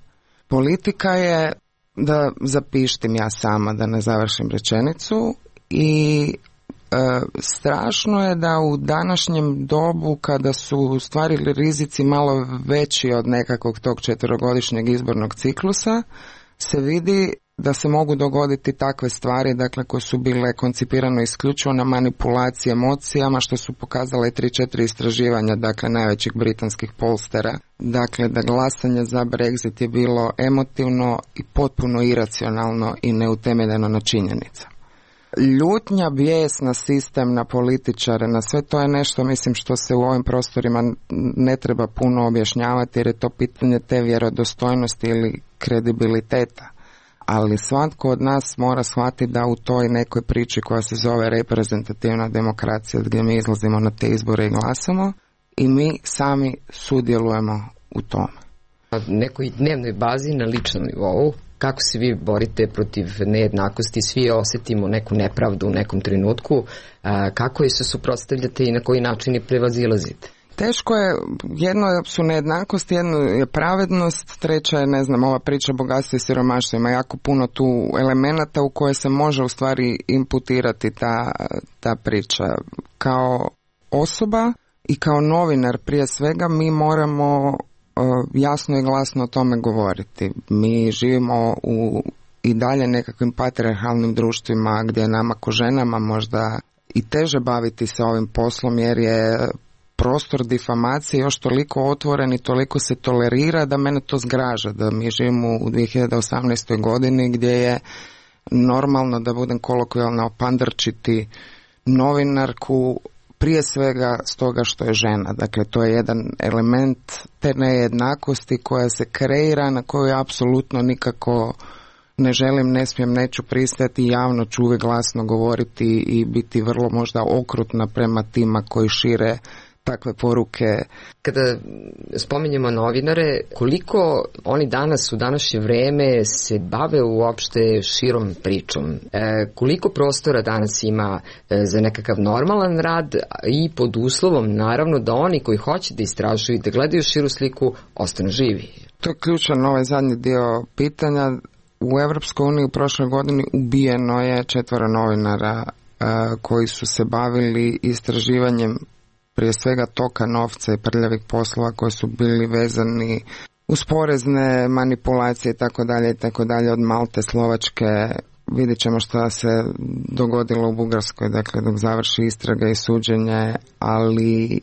Politika je, da zapištim ja sama da ne završim rečenicu, i strašno je da u današnjem dobu kada su u stvari rizici malo veći od nekakvog tog 4-godišnjeg izbornog ciklusa se vidi da se mogu dogoditi takve stvari, dakle koje su bile koncipirane isključivo na manipulaciji emocijama, što su pokazale 3-4 istraživanja, dakle najvećih britanskih polstera, dakle da glasanje za Brexit je bilo emotivno i potpuno iracionalno i neutemeljeno na činjenicama. Ljutnja, bijes na sistem, na političare, na sve to je nešto, mislim, što se u ovim prostorima ne treba puno objašnjavati jer je to pitanje te vjerodostojnosti ili kredibiliteta. Ali svatko od nas mora shvatiti da u toj nekoj priči koja se zove reprezentativna demokracija, gdje mi izlazimo na te izbore i glasamo, i mi sami sudjelujemo u tome. Na nekoj dnevnoj bazi, na ličnom nivou, kako se vi borite protiv nejednakosti, svi osjetimo neku nepravdu u nekom trenutku, kako je se suprotstavljate i na koji način je prevazilazite? Teško je, jedno su nejednakost, jedno je pravednost, treća je, ne znam, ova priča bogatstva i siromaštva. Ima jako puno tu elemenata u koje se može u stvari imputirati ta priča. Kao osoba i kao novinar prije svega mi moramo jasno i glasno o tome govoriti. Mi živimo u i dalje nekakvim patrijarhalnim društvima gdje je nama ko ženama možda i teže baviti se ovim poslom jer je prostor difamacije još toliko otvoren i toliko se tolerira da mene to zgraža, da mi živimo u 2018. godini gdje je normalno, da budem kolokvijalno, opandrčiti novinarku prije svega stoga što je žena. Dakle, to je jedan element te nejednakosti koja se kreira, na koju apsolutno nikako ne želim, ne smijem, neću pristati i javno ću uvijek glasno govoriti i biti vrlo možda okrutna prema tima koji šire takve poruke. Kada spominjemo novinare, koliko oni danas u današnje vreme se bave uopšte širom pričom? Koliko prostora danas ima za nekakav normalan rad i pod uslovom naravno da oni koji hoće da istražuju i da gledaju širu sliku ostanu živi? To je ključan ovaj zadnji dio pitanja. U Europskoj uniji u prošloj godini ubijeno je 4 novinara koji su se bavili istraživanjem prije svega toka novca i prljavih poslova koji su bili vezani uz porezne manipulacije i tako dalje od Malte, Slovačke. Vidjet ćemo što se dogodilo u Bugarskoj, dakle dok završi istraga i suđenje, ali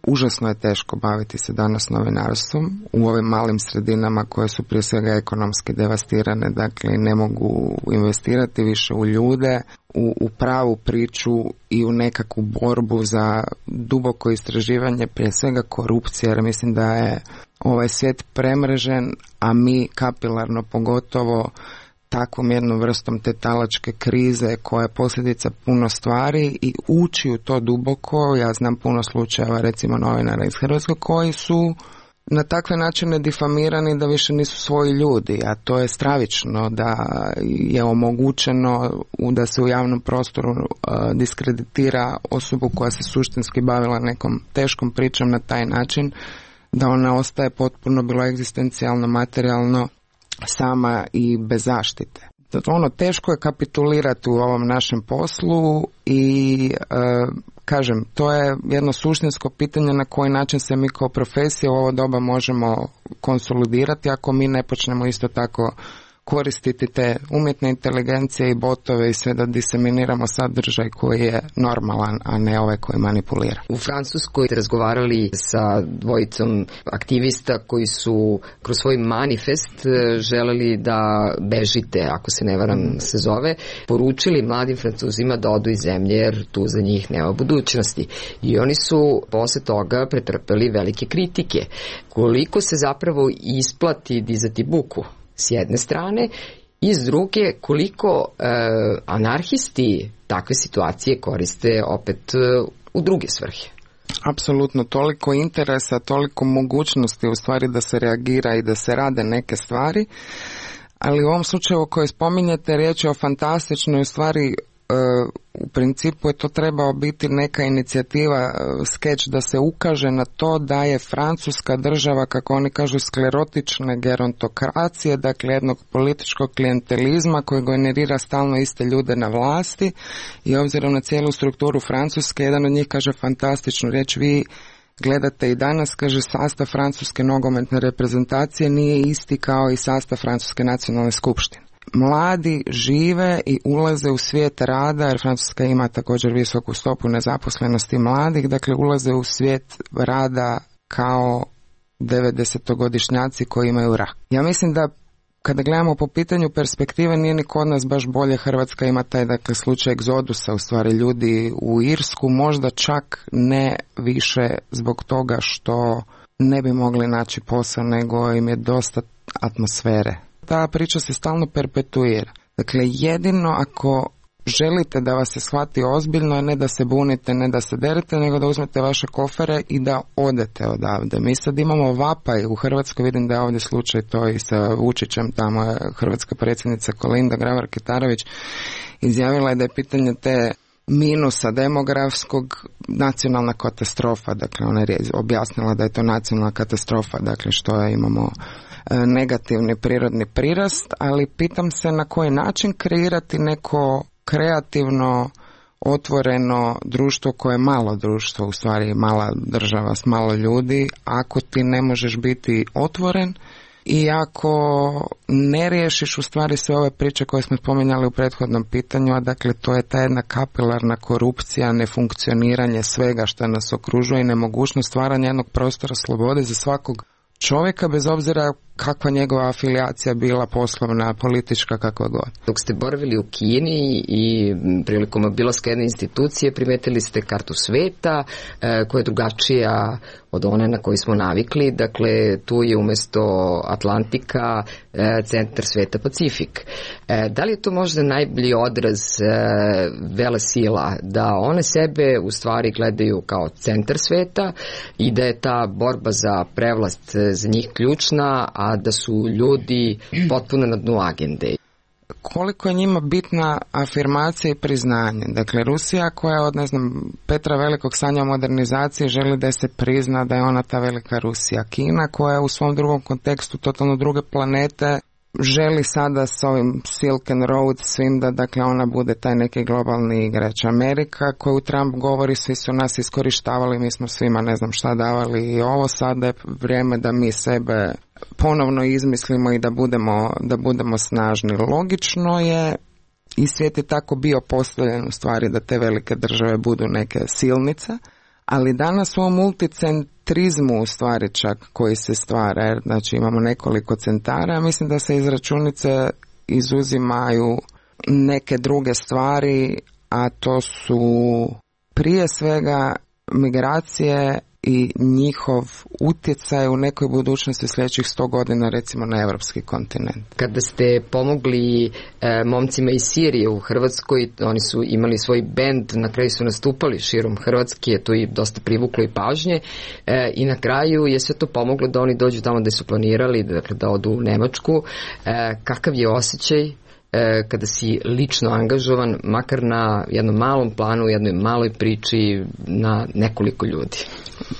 užasno je teško baviti se danas novinarstvom u ovim malim sredinama koje su prije svega ekonomski devastirane, dakle ne mogu investirati više u ljude, u pravu priču i u nekakvu borbu za duboko istraživanje, prije svega korupcije, jer mislim da je ovaj svijet premrežen, a mi kapilarno pogotovo takvom jednom vrstom te talačke krize koja je posljedica puno stvari i ući u to duboko. Ja znam puno slučajeva recimo novinara iz Hrvatske koji su na takve načine difamirani da više nisu svoji ljudi, a to je stravično da je omogućeno da se u javnom prostoru diskreditira osobu koja se suštinski bavila nekom teškom pričom na taj način da ona ostaje potpuno bilo egzistencijalno, materijalno sama i bez zaštite. teško je kapitulirati u ovom našem poslu i kažem, to je jedno suštinsko pitanje na koji način se mi kao profesija u ovo doba možemo konsolidirati ako mi ne počnemo isto tako koristiti te umjetne inteligencije i botove i sve da diseminiramo sadržaj koji je normalan, a ne ovaj koji manipulira. U Francuskoj ste razgovarali sa dvojicom aktivista koji su kroz svoj manifest želeli da bežite, ako se ne varam se zove, poručili mladim Francuzima da odu iz zemlje jer tu za njih nema budućnosti. I oni su posle toga pretrpeli velike kritike. Koliko se zapravo isplati dizati buku s jedne strane i s druge koliko anarhisti takve situacije koriste opet u druge svrhe. Apsolutno, toliko interesa, toliko mogućnosti u stvari da se reagira i da se rade neke stvari, ali u ovom slučaju koji spominjete riječ je o fantastičnoj u stvari. U principu je to trebao biti neka inicijativa, skeč da se ukaže na to da je Francuska država, kako oni kažu, sklerotične gerontokracije, dakle jednog političkog klijentelizma koji generira stalno iste ljude na vlasti i obzirom na cijelu strukturu Francuske, jedan od njih kaže fantastičnu riječ, vi gledate i danas, kaže, sastav francuske nogometne reprezentacije nije isti kao i sastav Francuske nacionalne skupštine. Mladi žive i ulaze u svijet rada, jer Francuska ima također visoku stopu nezaposlenosti mladih, dakle ulaze u svijet rada kao 90-godišnjaci koji imaju rak. Ja mislim da kada gledamo po pitanju perspektive, nije ni kod nas baš bolje. Hrvatska ima taj, dakle, slučaj egzodusa, u stvari ljudi u Irsku, možda čak ne više zbog toga što ne bi mogli naći posao, nego im je dosta atmosfere. Ta priča se stalno perpetuira. Dakle, jedino ako želite da vas se shvati ozbiljno, ne da se bunite, ne da se derete, nego da uzmete vaše kofere i da odete odavde. Mi sad imamo vapaj u Hrvatskoj, vidim da je ovdje slučaj to i sa Vučićem, tamo je hrvatska predsjednica Kolinda Grabar-Kitarović izjavila je da je pitanje te minusa demografskog nacionalna katastrofa. Dakle, ona je objasnila da je to nacionalna katastrofa, dakle što je, imamo negativni prirodni prirast, ali pitam se na koji način kreirati neko kreativno, otvoreno društvo koje je malo društvo, u stvari mala država s malo ljudi, ako ti ne možeš biti otvoren i ako ne riješiš u stvari sve ove priče koje smo spominjali u prethodnom pitanju, a dakle to je ta jedna kapilarna korupcija, nefunkcioniranje svega što nas okružuje i nemogućnost stvaranja jednog prostora slobode za svakog čovjeka, bez obzira kakva njegova afilijacija bila, poslovna, politička, kakva god. Dok ste boravili u Kini i prilikom obilaska jedne institucije primetili ste kartu sveta koja je drugačija od one na koju smo navikli. Dakle, tu je umjesto Atlantika centar sveta Pacifik. Da li je to možda najbolji odraz velesila, da one sebe u stvari gledaju kao centar sveta i da je ta borba za prevlast za njih ključna, a da su ljudi potpuno na dnu agende? Koliko je njima bitna afirmacija i priznanje. Dakle, Rusija koja od, Petra Velikog sanja o modernizaciji želi da se prizna da je ona ta velika Rusija. Kina koja u svom drugom kontekstu, totalno druge planete, želi sada s ovim Silk and Road svim da, dakle, ona bude taj neki globalni igrač. Amerika koju Trump govori, svi su nas iskorištavali, mi smo svima ne znam šta davali i ovo sada je vrijeme da mi sebe ponovno izmislimo i da budemo snažni. Logično je i svijet je tako bio postavljen u stvari da te velike države budu neke silnice, ali danas u ovom multicentrizmu u stvari čak koji se stvara, jer znači imamo nekoliko centara, mislim da se iz računice izuzimaju neke druge stvari, a to su prije svega migracije i njihov utjecaj u nekoj budućnosti sljedećih 100 godina recimo na evropski kontinent. Kada ste pomogli momcima iz Sirije u Hrvatskoj, oni su imali svoj bend, na kraju su nastupali širom Hrvatske, to je dosta privuklo i pažnje i na kraju je sve to pomoglo da oni dođu tamo gde su planirali, dakle da odu u Nemačku. Kakav je osjećaj kada si lično angažovan, makar na jednom malom planu, jednoj maloj priči na nekoliko ljudi.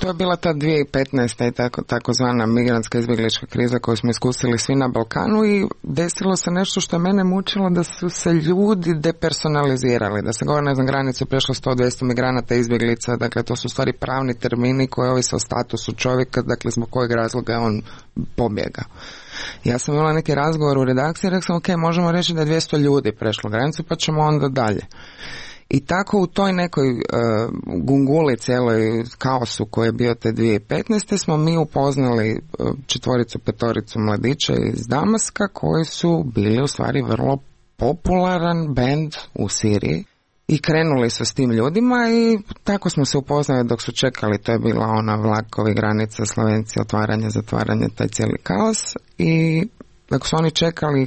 To je bila ta 2015. i takozvana migrantska izbjeglička kriza koju smo iskusili svi na Balkanu i desilo se nešto što je mene mučilo, da su se ljudi depersonalizirali, da se govori, ne znam, granicu prešlo 100-200 migranata, izbjeglica, dakle to su stvari pravni termini koji ovise o statusu čovjeka, dakle zbog kojeg razloga je on pobjegao. Ja sam imala neki razgovor u redakciji i rekla sam, ok, možemo reći da je 200 ljudi prešlo granicu, pa ćemo onda dalje. I tako u toj nekoj gunguli, cijeloj kaosu koji je bio te 2015. smo mi upoznali 4-5 mladića iz Damaska koji su bili u stvari vrlo popularan bend u Siriji i krenuli su s tim ljudima i tako smo se upoznali dok su čekali, to je bila ona vlakovi, granica, Slovenci, otvaranje, zatvaranje, taj cijeli kaos i dok su oni čekali,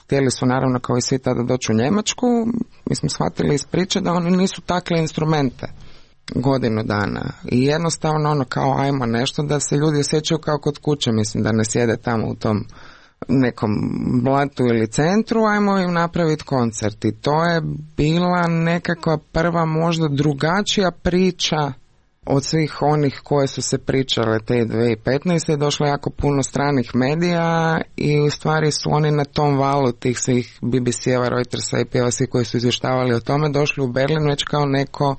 htjeli su naravno kao i svi tada doći u Njemačku, mi smo shvatili iz priče da oni nisu takle instrumente godinu dana i jednostavno ono kao ajmo nešto da se ljudi osjećaju kao kod kuće, mislim da ne sjede tamo u tom nekom blatu ili centru, ajmo im napraviti koncert i to je bila nekakva prva možda drugačija priča od svih onih koje su se pričale te 2015. Došlo jako puno stranih medija i u stvari su oni na tom valu tih svih BBC-eva, Reutersa i POS koji su izvještavali o tome došli u Berlin već kao neko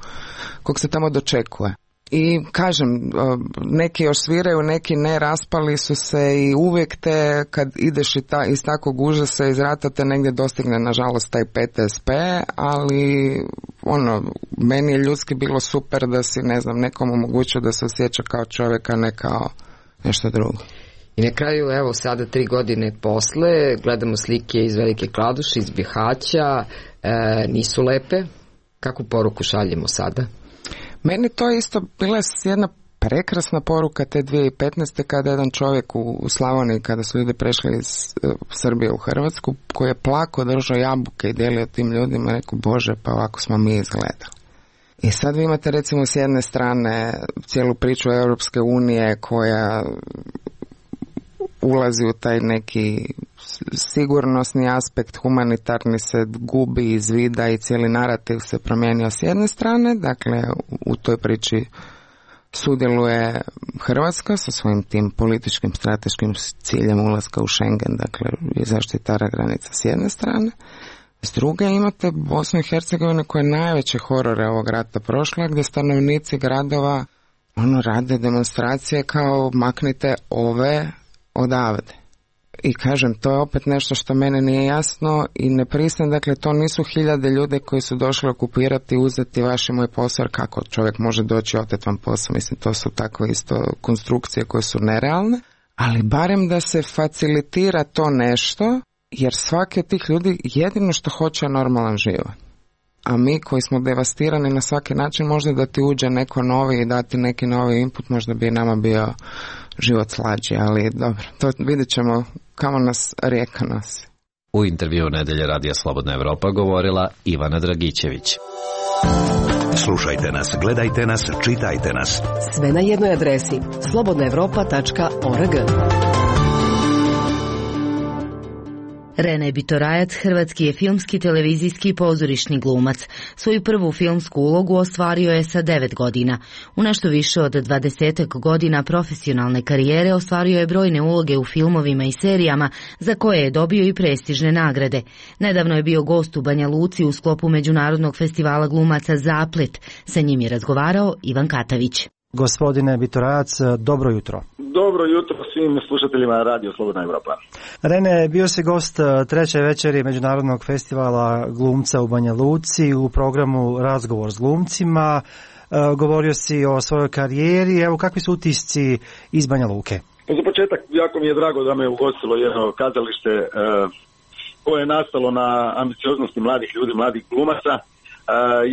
kog se tamo dočekuje. I kažem, neki još sviraju, neki ne, raspali su se i uvijek te kad ideš iz takvog užasa iz rata te negdje dostigne nažalost taj PTSP, ali ono, meni je ljudski bilo super da si, ne znam, nekom omogućio da se osjeća kao čovjeka, ne kao nešto drugo. I na kraju, evo sada 3 godine posle, gledamo slike iz Velike Kladuše, iz Bihaća, nisu lepe. Kakvu poruku šaljemo sada? Meni to isto bila jedna prekrasna poruka te 2015. kada jedan čovjek u Slavoniji, kada su ljudi prešli iz Srbije u Hrvatsku, koji je plako držao jabuke i dijelio tim ljudima, rekao, Bože, pa ovako smo mi izgledali. I sad vi imate recimo s jedne strane cijelu priču Europske unije koja ulazi u taj neki sigurnosni aspekt, humanitarni se gubi iz vida i cijeli narativ se promijenio s jedne strane, dakle u toj priči sudjeluje Hrvatska sa svojim tim političkim strateškim ciljem ulaska u Schengen, dakle zaštitara granica s jedne strane. S druge imate Bosnu i Hercegovinu koja je najveće horore ovog rata prošla, gdje stanovnici gradova rade demonstracije kao maknite ove odavde. I kažem, to je opet nešto što mene nije jasno i ne pristajem, dakle to nisu hiljade ljudi koji su došli okupirati, uzeti vaš i moj posao, jer kako čovjek može doći oteti vam posao, mislim to su tako isto konstrukcije koje su nerealne, ali barem da se facilitira to nešto, jer svaki od tih ljudi jedino što hoće je normalan život. A mi koji smo devastirani na svaki način, možda da ti uđe neko novi i dati neki novi input, možda bi nama bio život slađi, ali dobro, to vidjet ćemo kamo nas rijeka nosi. U intervju Nedelje Radija Slobodna Evropa govorila Ivana Dragićević. Slušajte nas, gledajte nas, čitajte nas. Sve na jednoj adresi slobodnaevropa.org. Rene Bitorajac hrvatski je filmski, televizijski i pozorišni glumac. Svoju prvu filmsku ulogu ostvario je sa 9 godina. U nešto više od 20 godina profesionalne karijere ostvario je brojne uloge u filmovima i serijama za koje je dobio i prestižne nagrade. Nedavno je bio gost u Banja Luci u sklopu Međunarodnog festivala glumaca Zaplet. Sa njim je razgovarao Ivan Katavić. Gospodine Bitorajac, dobro jutro. Dobro jutro svim slušateljima Radio Slobodna Evropa. Rene, bio si gost treće večeri Međunarodnog festivala glumca u Banja Luci u programu Razgovor s glumcima. Govorio si o svojoj karijeri. Evo, kakvi su utisci iz Banja Luke? Za početak, jako mi je drago da me ugostilo jedno kazalište koje je nastalo na ambicioznosti mladih ljudi, mladih glumaca,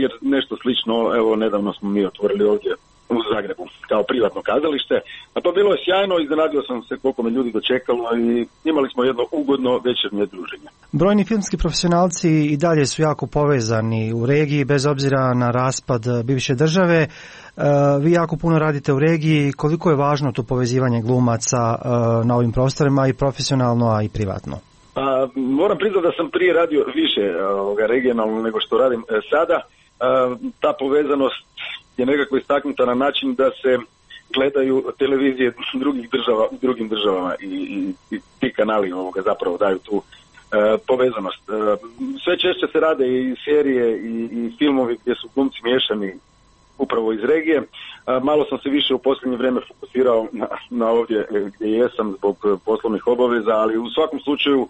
jer nešto slično, evo, nedavno smo mi otvorili ovdje u Zagrebu kao privatno kazalište, a to bilo je sjajno, iznenadio sam se koliko me ljudi dočekalo i imali smo jedno ugodno večernje druženje. Brojni filmski profesionalci i dalje su jako povezani u regiji, bez obzira na raspad bivše države. Vi jako puno radite u regiji, koliko je važno to povezivanje glumaca na ovim prostorima i profesionalno, a i privatno? Pa, moram priznati da sam prije radio više regionalno nego što radim sada. Ta povezanost je nekako istaknuta na način da se gledaju televizije drugih država u drugim državama i ti kanali zapravo daju tu povezanost. Sve češće se rade i serije i filmovi gdje su glumci miješani upravo iz regije. Malo sam se više u posljednje vrijeme fokusirao na ovdje gdje jesam zbog poslovnih obaveza, ali u svakom slučaju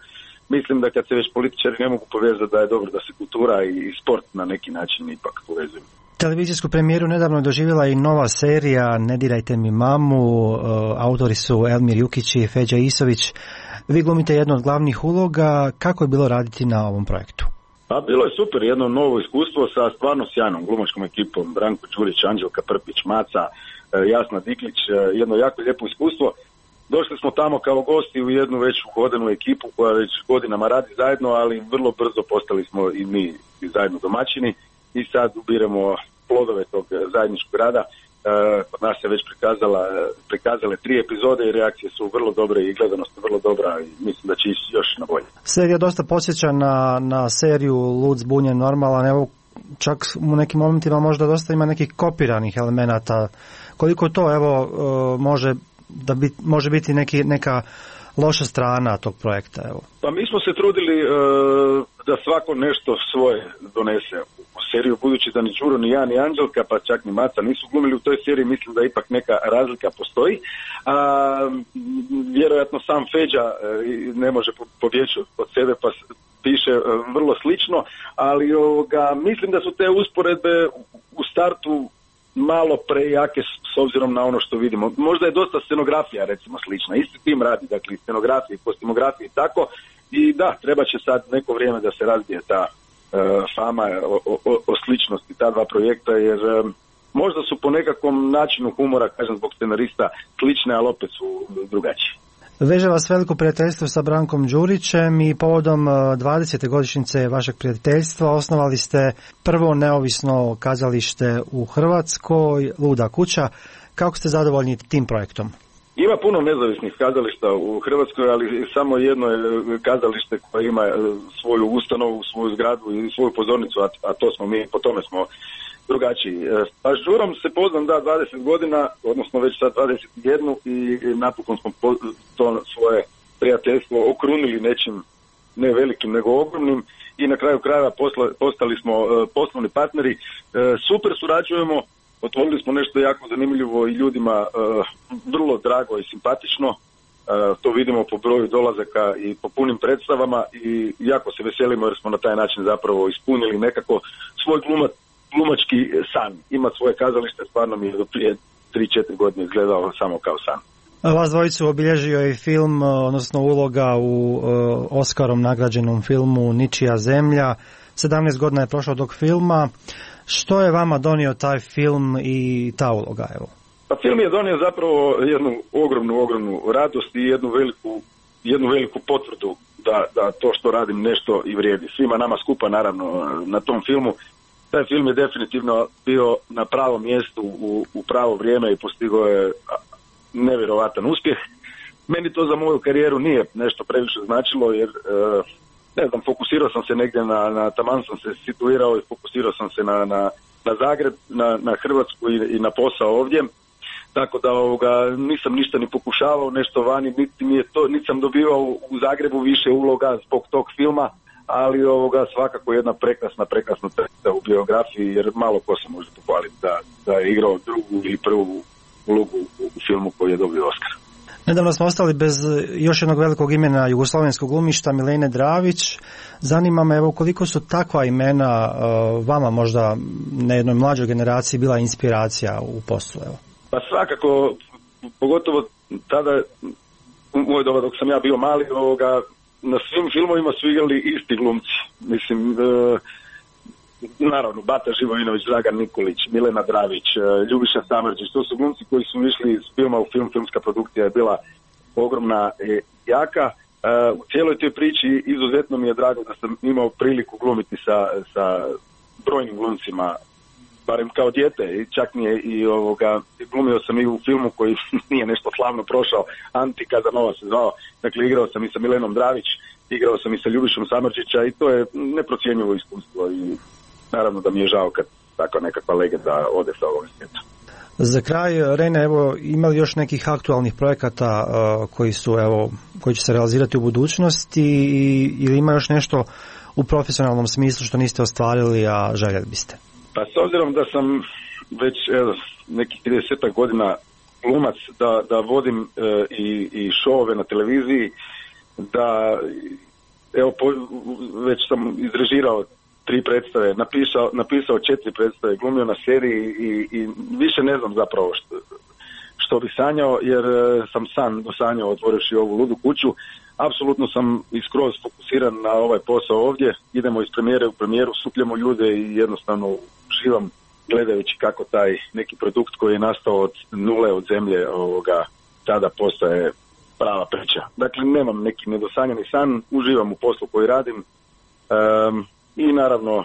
mislim da kad se već političari ne mogu povezati da je dobro da se kultura i sport na neki način ipak povezuju. Televizijsku premijeru nedavno je doživjela i nova serija Ne dirajte mi mamu, autori su Elmir Jukić i Feđa Isović. Vi glumite jednu od glavnih uloga, kako je bilo raditi na ovom projektu? Pa bilo je super, jedno novo iskustvo sa stvarno sjajnom glumačkom ekipom, Branko Đurić, Anđelka Prpić, Maca, Jasna Diklić, jedno jako lijepo iskustvo. Došli smo tamo kao gosti u jednu već uhodanu ekipu koja već godinama radi zajedno, ali vrlo brzo postali smo i mi zajedno domaćini i sad ubiremo plodove tog zajedničkog rada. Kod nas se već prikazale 3 epizode i reakcije su vrlo dobre i gledanost je vrlo dobra i mislim da će ići još na bolje. Serija dosta podsjeća na seriju Lud, zbunjen, normalan, evo čak u nekim momentima možda dosta ima nekih kopiranih elemenata. Koliko to može biti neka loša strana tog projekta? Evo. Pa mi smo se trudili da svako nešto svoje donese u seriju, budući da ni Đuro, ni ja, ni Anđelka, pa čak ni Maca nisu glumili u toj seriji, mislim da ipak neka razlika postoji. Vjerojatno sam Feđa ne može pobjeći od sebe, pa piše vrlo slično, ali mislim da su te usporedbe u startu malo prejake s obzirom na ono što vidimo. Možda je dosta scenografija recimo slična, isti tim radi, dakle scenografije, kostimografije i tako, i da, treba će sad neko vrijeme da se razbije ta fama o sličnosti ta dva projekta, jer možda su po nekakvom načinu humora, kažem zbog scenarista, slične, ali opet su drugačije. Veže vas veliko prijateljstvo sa Brankom Đurićem i povodom 20. godišnjice vašeg prijateljstva osnovali ste prvo neovisno kazalište u Hrvatskoj, Luda kuća. Kako ste zadovoljni tim projektom? Ima puno nezavisnih kazališta u Hrvatskoj, ali samo jedno je kazalište koje ima svoju ustanovu, svoju zgradu i svoju pozornicu, a to smo mi, po tome smo drugačiji. Pa s Đurom se poznam 20 godina, odnosno već sad 21 i napokon smo to svoje prijateljstvo okrunili nečim ne velikim nego ogromnim i na kraju krajeva postali smo poslovni partneri. Super surađujemo, otvorili smo nešto jako zanimljivo i ljudima vrlo drago i simpatično. To vidimo po broju dolazaka i po punim predstavama i jako se veselimo jer smo na taj način zapravo ispunili nekako svoj glumački san. Ima svoje kazalište, stvarno mi je do prije 3-4 godine izgledao samo kao san. Vas dvojicu obilježio je film, odnosno uloga u Oskarom nagrađenom filmu Ničija zemlja. 17 godina je prošlo tog filma. Što je vama donio taj film i ta uloga? Evo? Pa film je donio zapravo jednu ogromnu radost i jednu veliku potvrdu da to što radim nešto i vrijedi. Svima nama skupa naravno na tom filmu. Taj film je definitivno bio na pravom mjestu u pravo vrijeme i postigao je nevjerovatan uspjeh. Meni to za moju karijeru nije nešto previše značilo jer ne znam, fokusirao sam se negdje taman sam se situirao i fokusirao sam se na Zagreb, na Hrvatsku i na posao ovdje. Tako da nisam ništa ni pokušavao nešto vani, niti sam dobivao u Zagrebu više uloga zbog tog filma, ali svakako jedna prekrasna crta u biografiji, jer malo ko se može pohvaliti da je igrao drugu ili prvu ulogu u filmu koji je dobio Oskar. Nedavno smo ostali bez još jednog velikog imena jugoslovenskog glumišta, Milene Dravić. Zanima me, evo, koliko su takva imena vama možda na jednoj mlađoj generaciji bila inspiracija u poslu? Evo. Pa svakako, pogotovo tada, u moj doba dok sam ja bio mali, na svim filmovima su igrali isti glumci. Mislim, naravno, Bata Živojinović, Dragan Nikolić, Milena Dravić, Ljubiša Samardžić, to su glumci koji su išli iz filma u film, filmska produkcija je bila ogromna i jaka. U cijeloj toj priči izuzetno mi je drago da sam imao priliku glumiti sa brojnim glumcima, barem kao dijete, i čak mi je glumio sam i u filmu koji nije nešto slavno prošao, Anti Kazanova se zvao, dakle igrao sam i sa Milenom Dravić, igrao sam i sa Ljubišom Samardžića i to je neprocjenjivo iskustvo i naravno da mi je žao kad takva nekakva legenda ode sa ovog svijeta. Za kraj, Rene, evo, ima li još nekih aktualnih projekata koji će se realizirati u budućnosti ili ima još nešto u profesionalnom smislu što niste ostvarili, a željeli biste? Pa s obzirom da sam već nekih 30 godina glumac, da vodim i šovove na televiziji, da već sam izrežirao 3 predstave, napisao 4 predstave, glumio na seriji i više ne znam zapravo što bi sanjao, jer sam san dosanjao otvorivši ovu ludu kuću. Apsolutno sam iskroz fokusiran na ovaj posao ovdje, idemo iz premijere u premijeru, supljamo ljude i jednostavno uživam gledajući kako taj neki produkt koji je nastao od nule, od zemlje, tada postaje prava priča. Dakle, nemam neki nedosanjani san, uživam u poslu koji radim, i naravno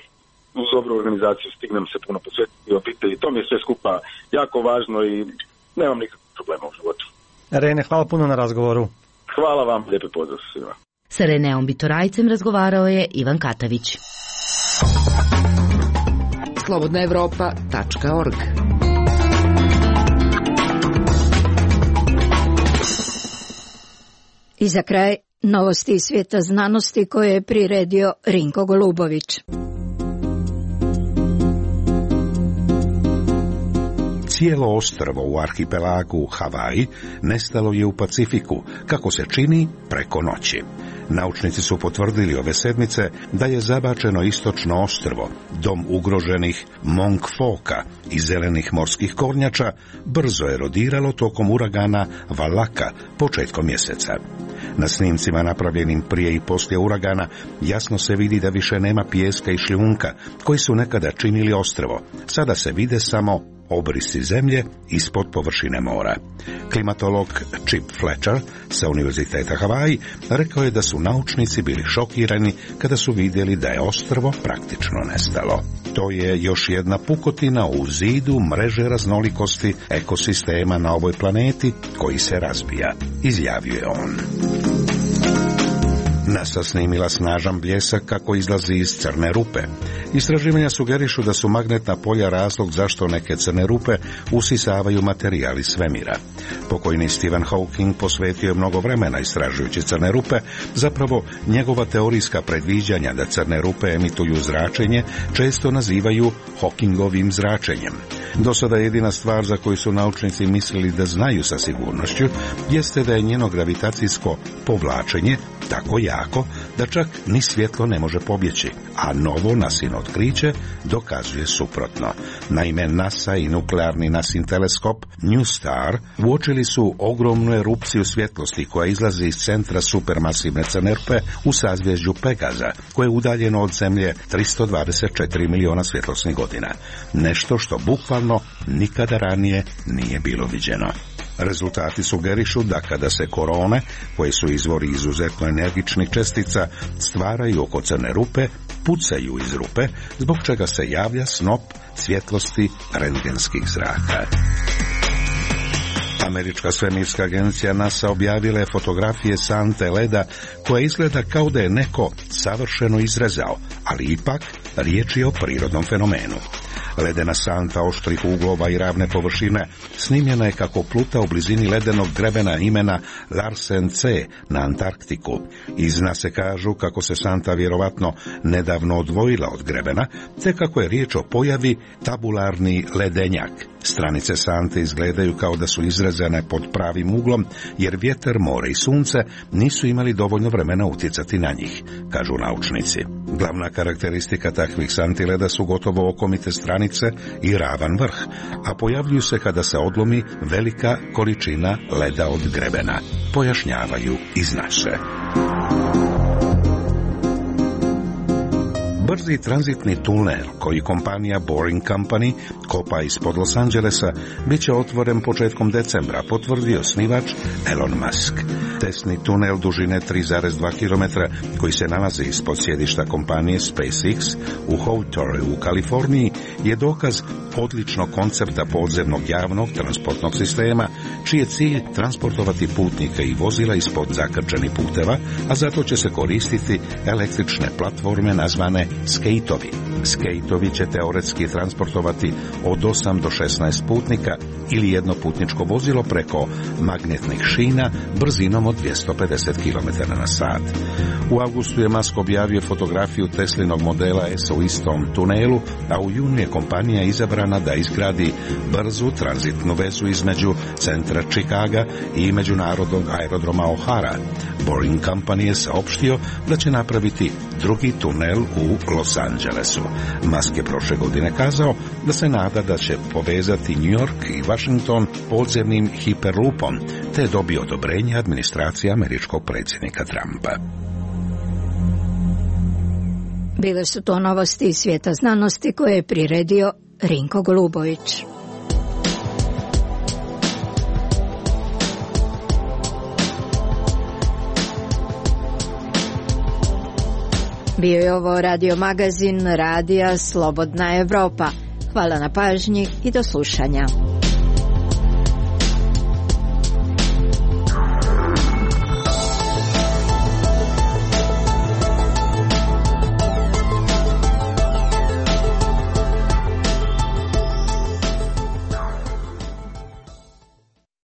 uz dobru organizaciju stignem se puno posvetiti obitelji. To mi je sve skupa jako važno i nemam nikakvih problema u životu. Rene, hvala puno na razgovoru. Hvala vam, lijepi pozdrav svima. Sa Reneom Bitorajcem razgovarao je Ivan Katavić. slobodnaevropa.org. I za kraj novosti iz svijeta znanosti koje je priredio Rinko Golubović. Cijelo ostrvo u arhipelagu Havaji nestalo je u Pacifiku, kako se čini, preko noći. Naučnici su potvrdili ove sedmice da je zabačeno istočno ostrvo, dom ugroženih Monk Foka i zelenih morskih kornjača, brzo erodiralo tokom uragana Valaka početkom mjeseca. Na snimcima napravljenim prije i poslije uragana jasno se vidi da više nema pijeska i šljunka koji su nekada činili ostrvo. Sada se vide samo obrisi zemlje ispod površine mora. Klimatolog Chip Fletcher sa Univerziteta Havaji rekao je da su naučnici bili šokirani kada su vidjeli da je ostrvo praktično nestalo. To je još jedna pukotina u zidu mreže raznolikosti ekosistema na ovoj planeti koji se razbija, izjavio je on. NASA snimila snažan bljesak kako izlazi iz crne rupe. Istraživanja sugerišu da su magnetna polja razlog zašto neke crne rupe usisavaju materijal iz svemira. Pokojni Stephen Hawking posvetio je mnogo vremena istražujući crne rupe, zapravo njegova teorijska predviđanja da crne rupe emituju zračenje često nazivaju Hawkingovim zračenjem. Do sada jedina stvar za koju su naučnici mislili da znaju sa sigurnošću jeste da je njeno gravitacijsko povlačenje tako jako da čak ni svjetlo ne može pobjeći, a novo NASIno otkriće dokazuje suprotno. Naime, NASA i nuklearni NASIN teleskop NuSTAR uočili su ogromnu erupciju svjetlosti koja izlazi iz centra supermasivne crne rupe u sazvježđu Pegaza, koje je udaljeno od Zemlje 324 miliona svjetlosnih godina. Nešto što bukvalno nikada ranije nije bilo viđeno. Rezultati sugerišu da kada se korone, koje su izvori izuzetno energičnih čestica, stvaraju oko crne rupe, pucaju iz rupe, zbog čega se javlja snop svjetlosti rentgenskih zraka. Američka svemirska agencija NASA objavila je fotografije sante leda koja izgleda kao da je neko savršeno izrezao, ali ipak riječ je o prirodnom fenomenu. Ledena santa oštrih uglova i ravne površine snimljena je kako pluta u blizini ledenog grebena imena Larsen C na Antarktiku. Iz NASA kažu kako se santa vjerovatno nedavno odvojila od grebena, te kako je riječ o pojavi tabularni ledenjak. Stranice sante izgledaju kao da su izrezane pod pravim uglom, jer vjetar, more i sunce nisu imali dovoljno vremena utjecati na njih, kažu naučnici. Glavna karakteristika takvih santi leda su gotovo okomite stranice i ravan vrh, a pojavljuju se kada se odlomi velika količina leda od grebena, pojašnjavaju iz NASA. Brzi tranzitni tunel koji kompanija Boring Company kopa ispod Los Angelesa bit će otvoren početkom decembra, potvrdio osnivač Elon Musk. Testni tunel dužine 3,2 km koji se nalazi ispod sjedišta kompanije SpaceX u Hawtorre u Kaliforniji je dokaz odličnog koncepta podzemnog javnog transportnog sistema, čiji je cilj transportovati putnike i vozila ispod zakrčenih puteva, a zato će se koristiti električne platforme nazvane skejtovi. Skejtovi će teoretski transportovati od 8 do 16 putnika ili jedno putničko vozilo preko magnetnih šina brzinom od 250 km/h. U avgustu je Musk objavio fotografiju Teslinog modela S u istom tunelu, a u junu je kompanija izabrana da izgradi brzu tranzitnu vezu između centra Chicaga i međunarodnog aerodroma O'Hara. Boring Company je saopštio da će napraviti drugi tunel u Los Angelesu. Musk je prošle godine kazao da se nada da će povezati New York i Washington podzemnim hiperlupom, te je dobio odobrenje administracije američkog predsjednika Trumpa. Bile su to novosti iz svijeta znanosti koje je priredio Rinko Golubović. Bio je ovo radio magazin Radija Slobodna Evropa. Hvala na pažnji i do slušanja.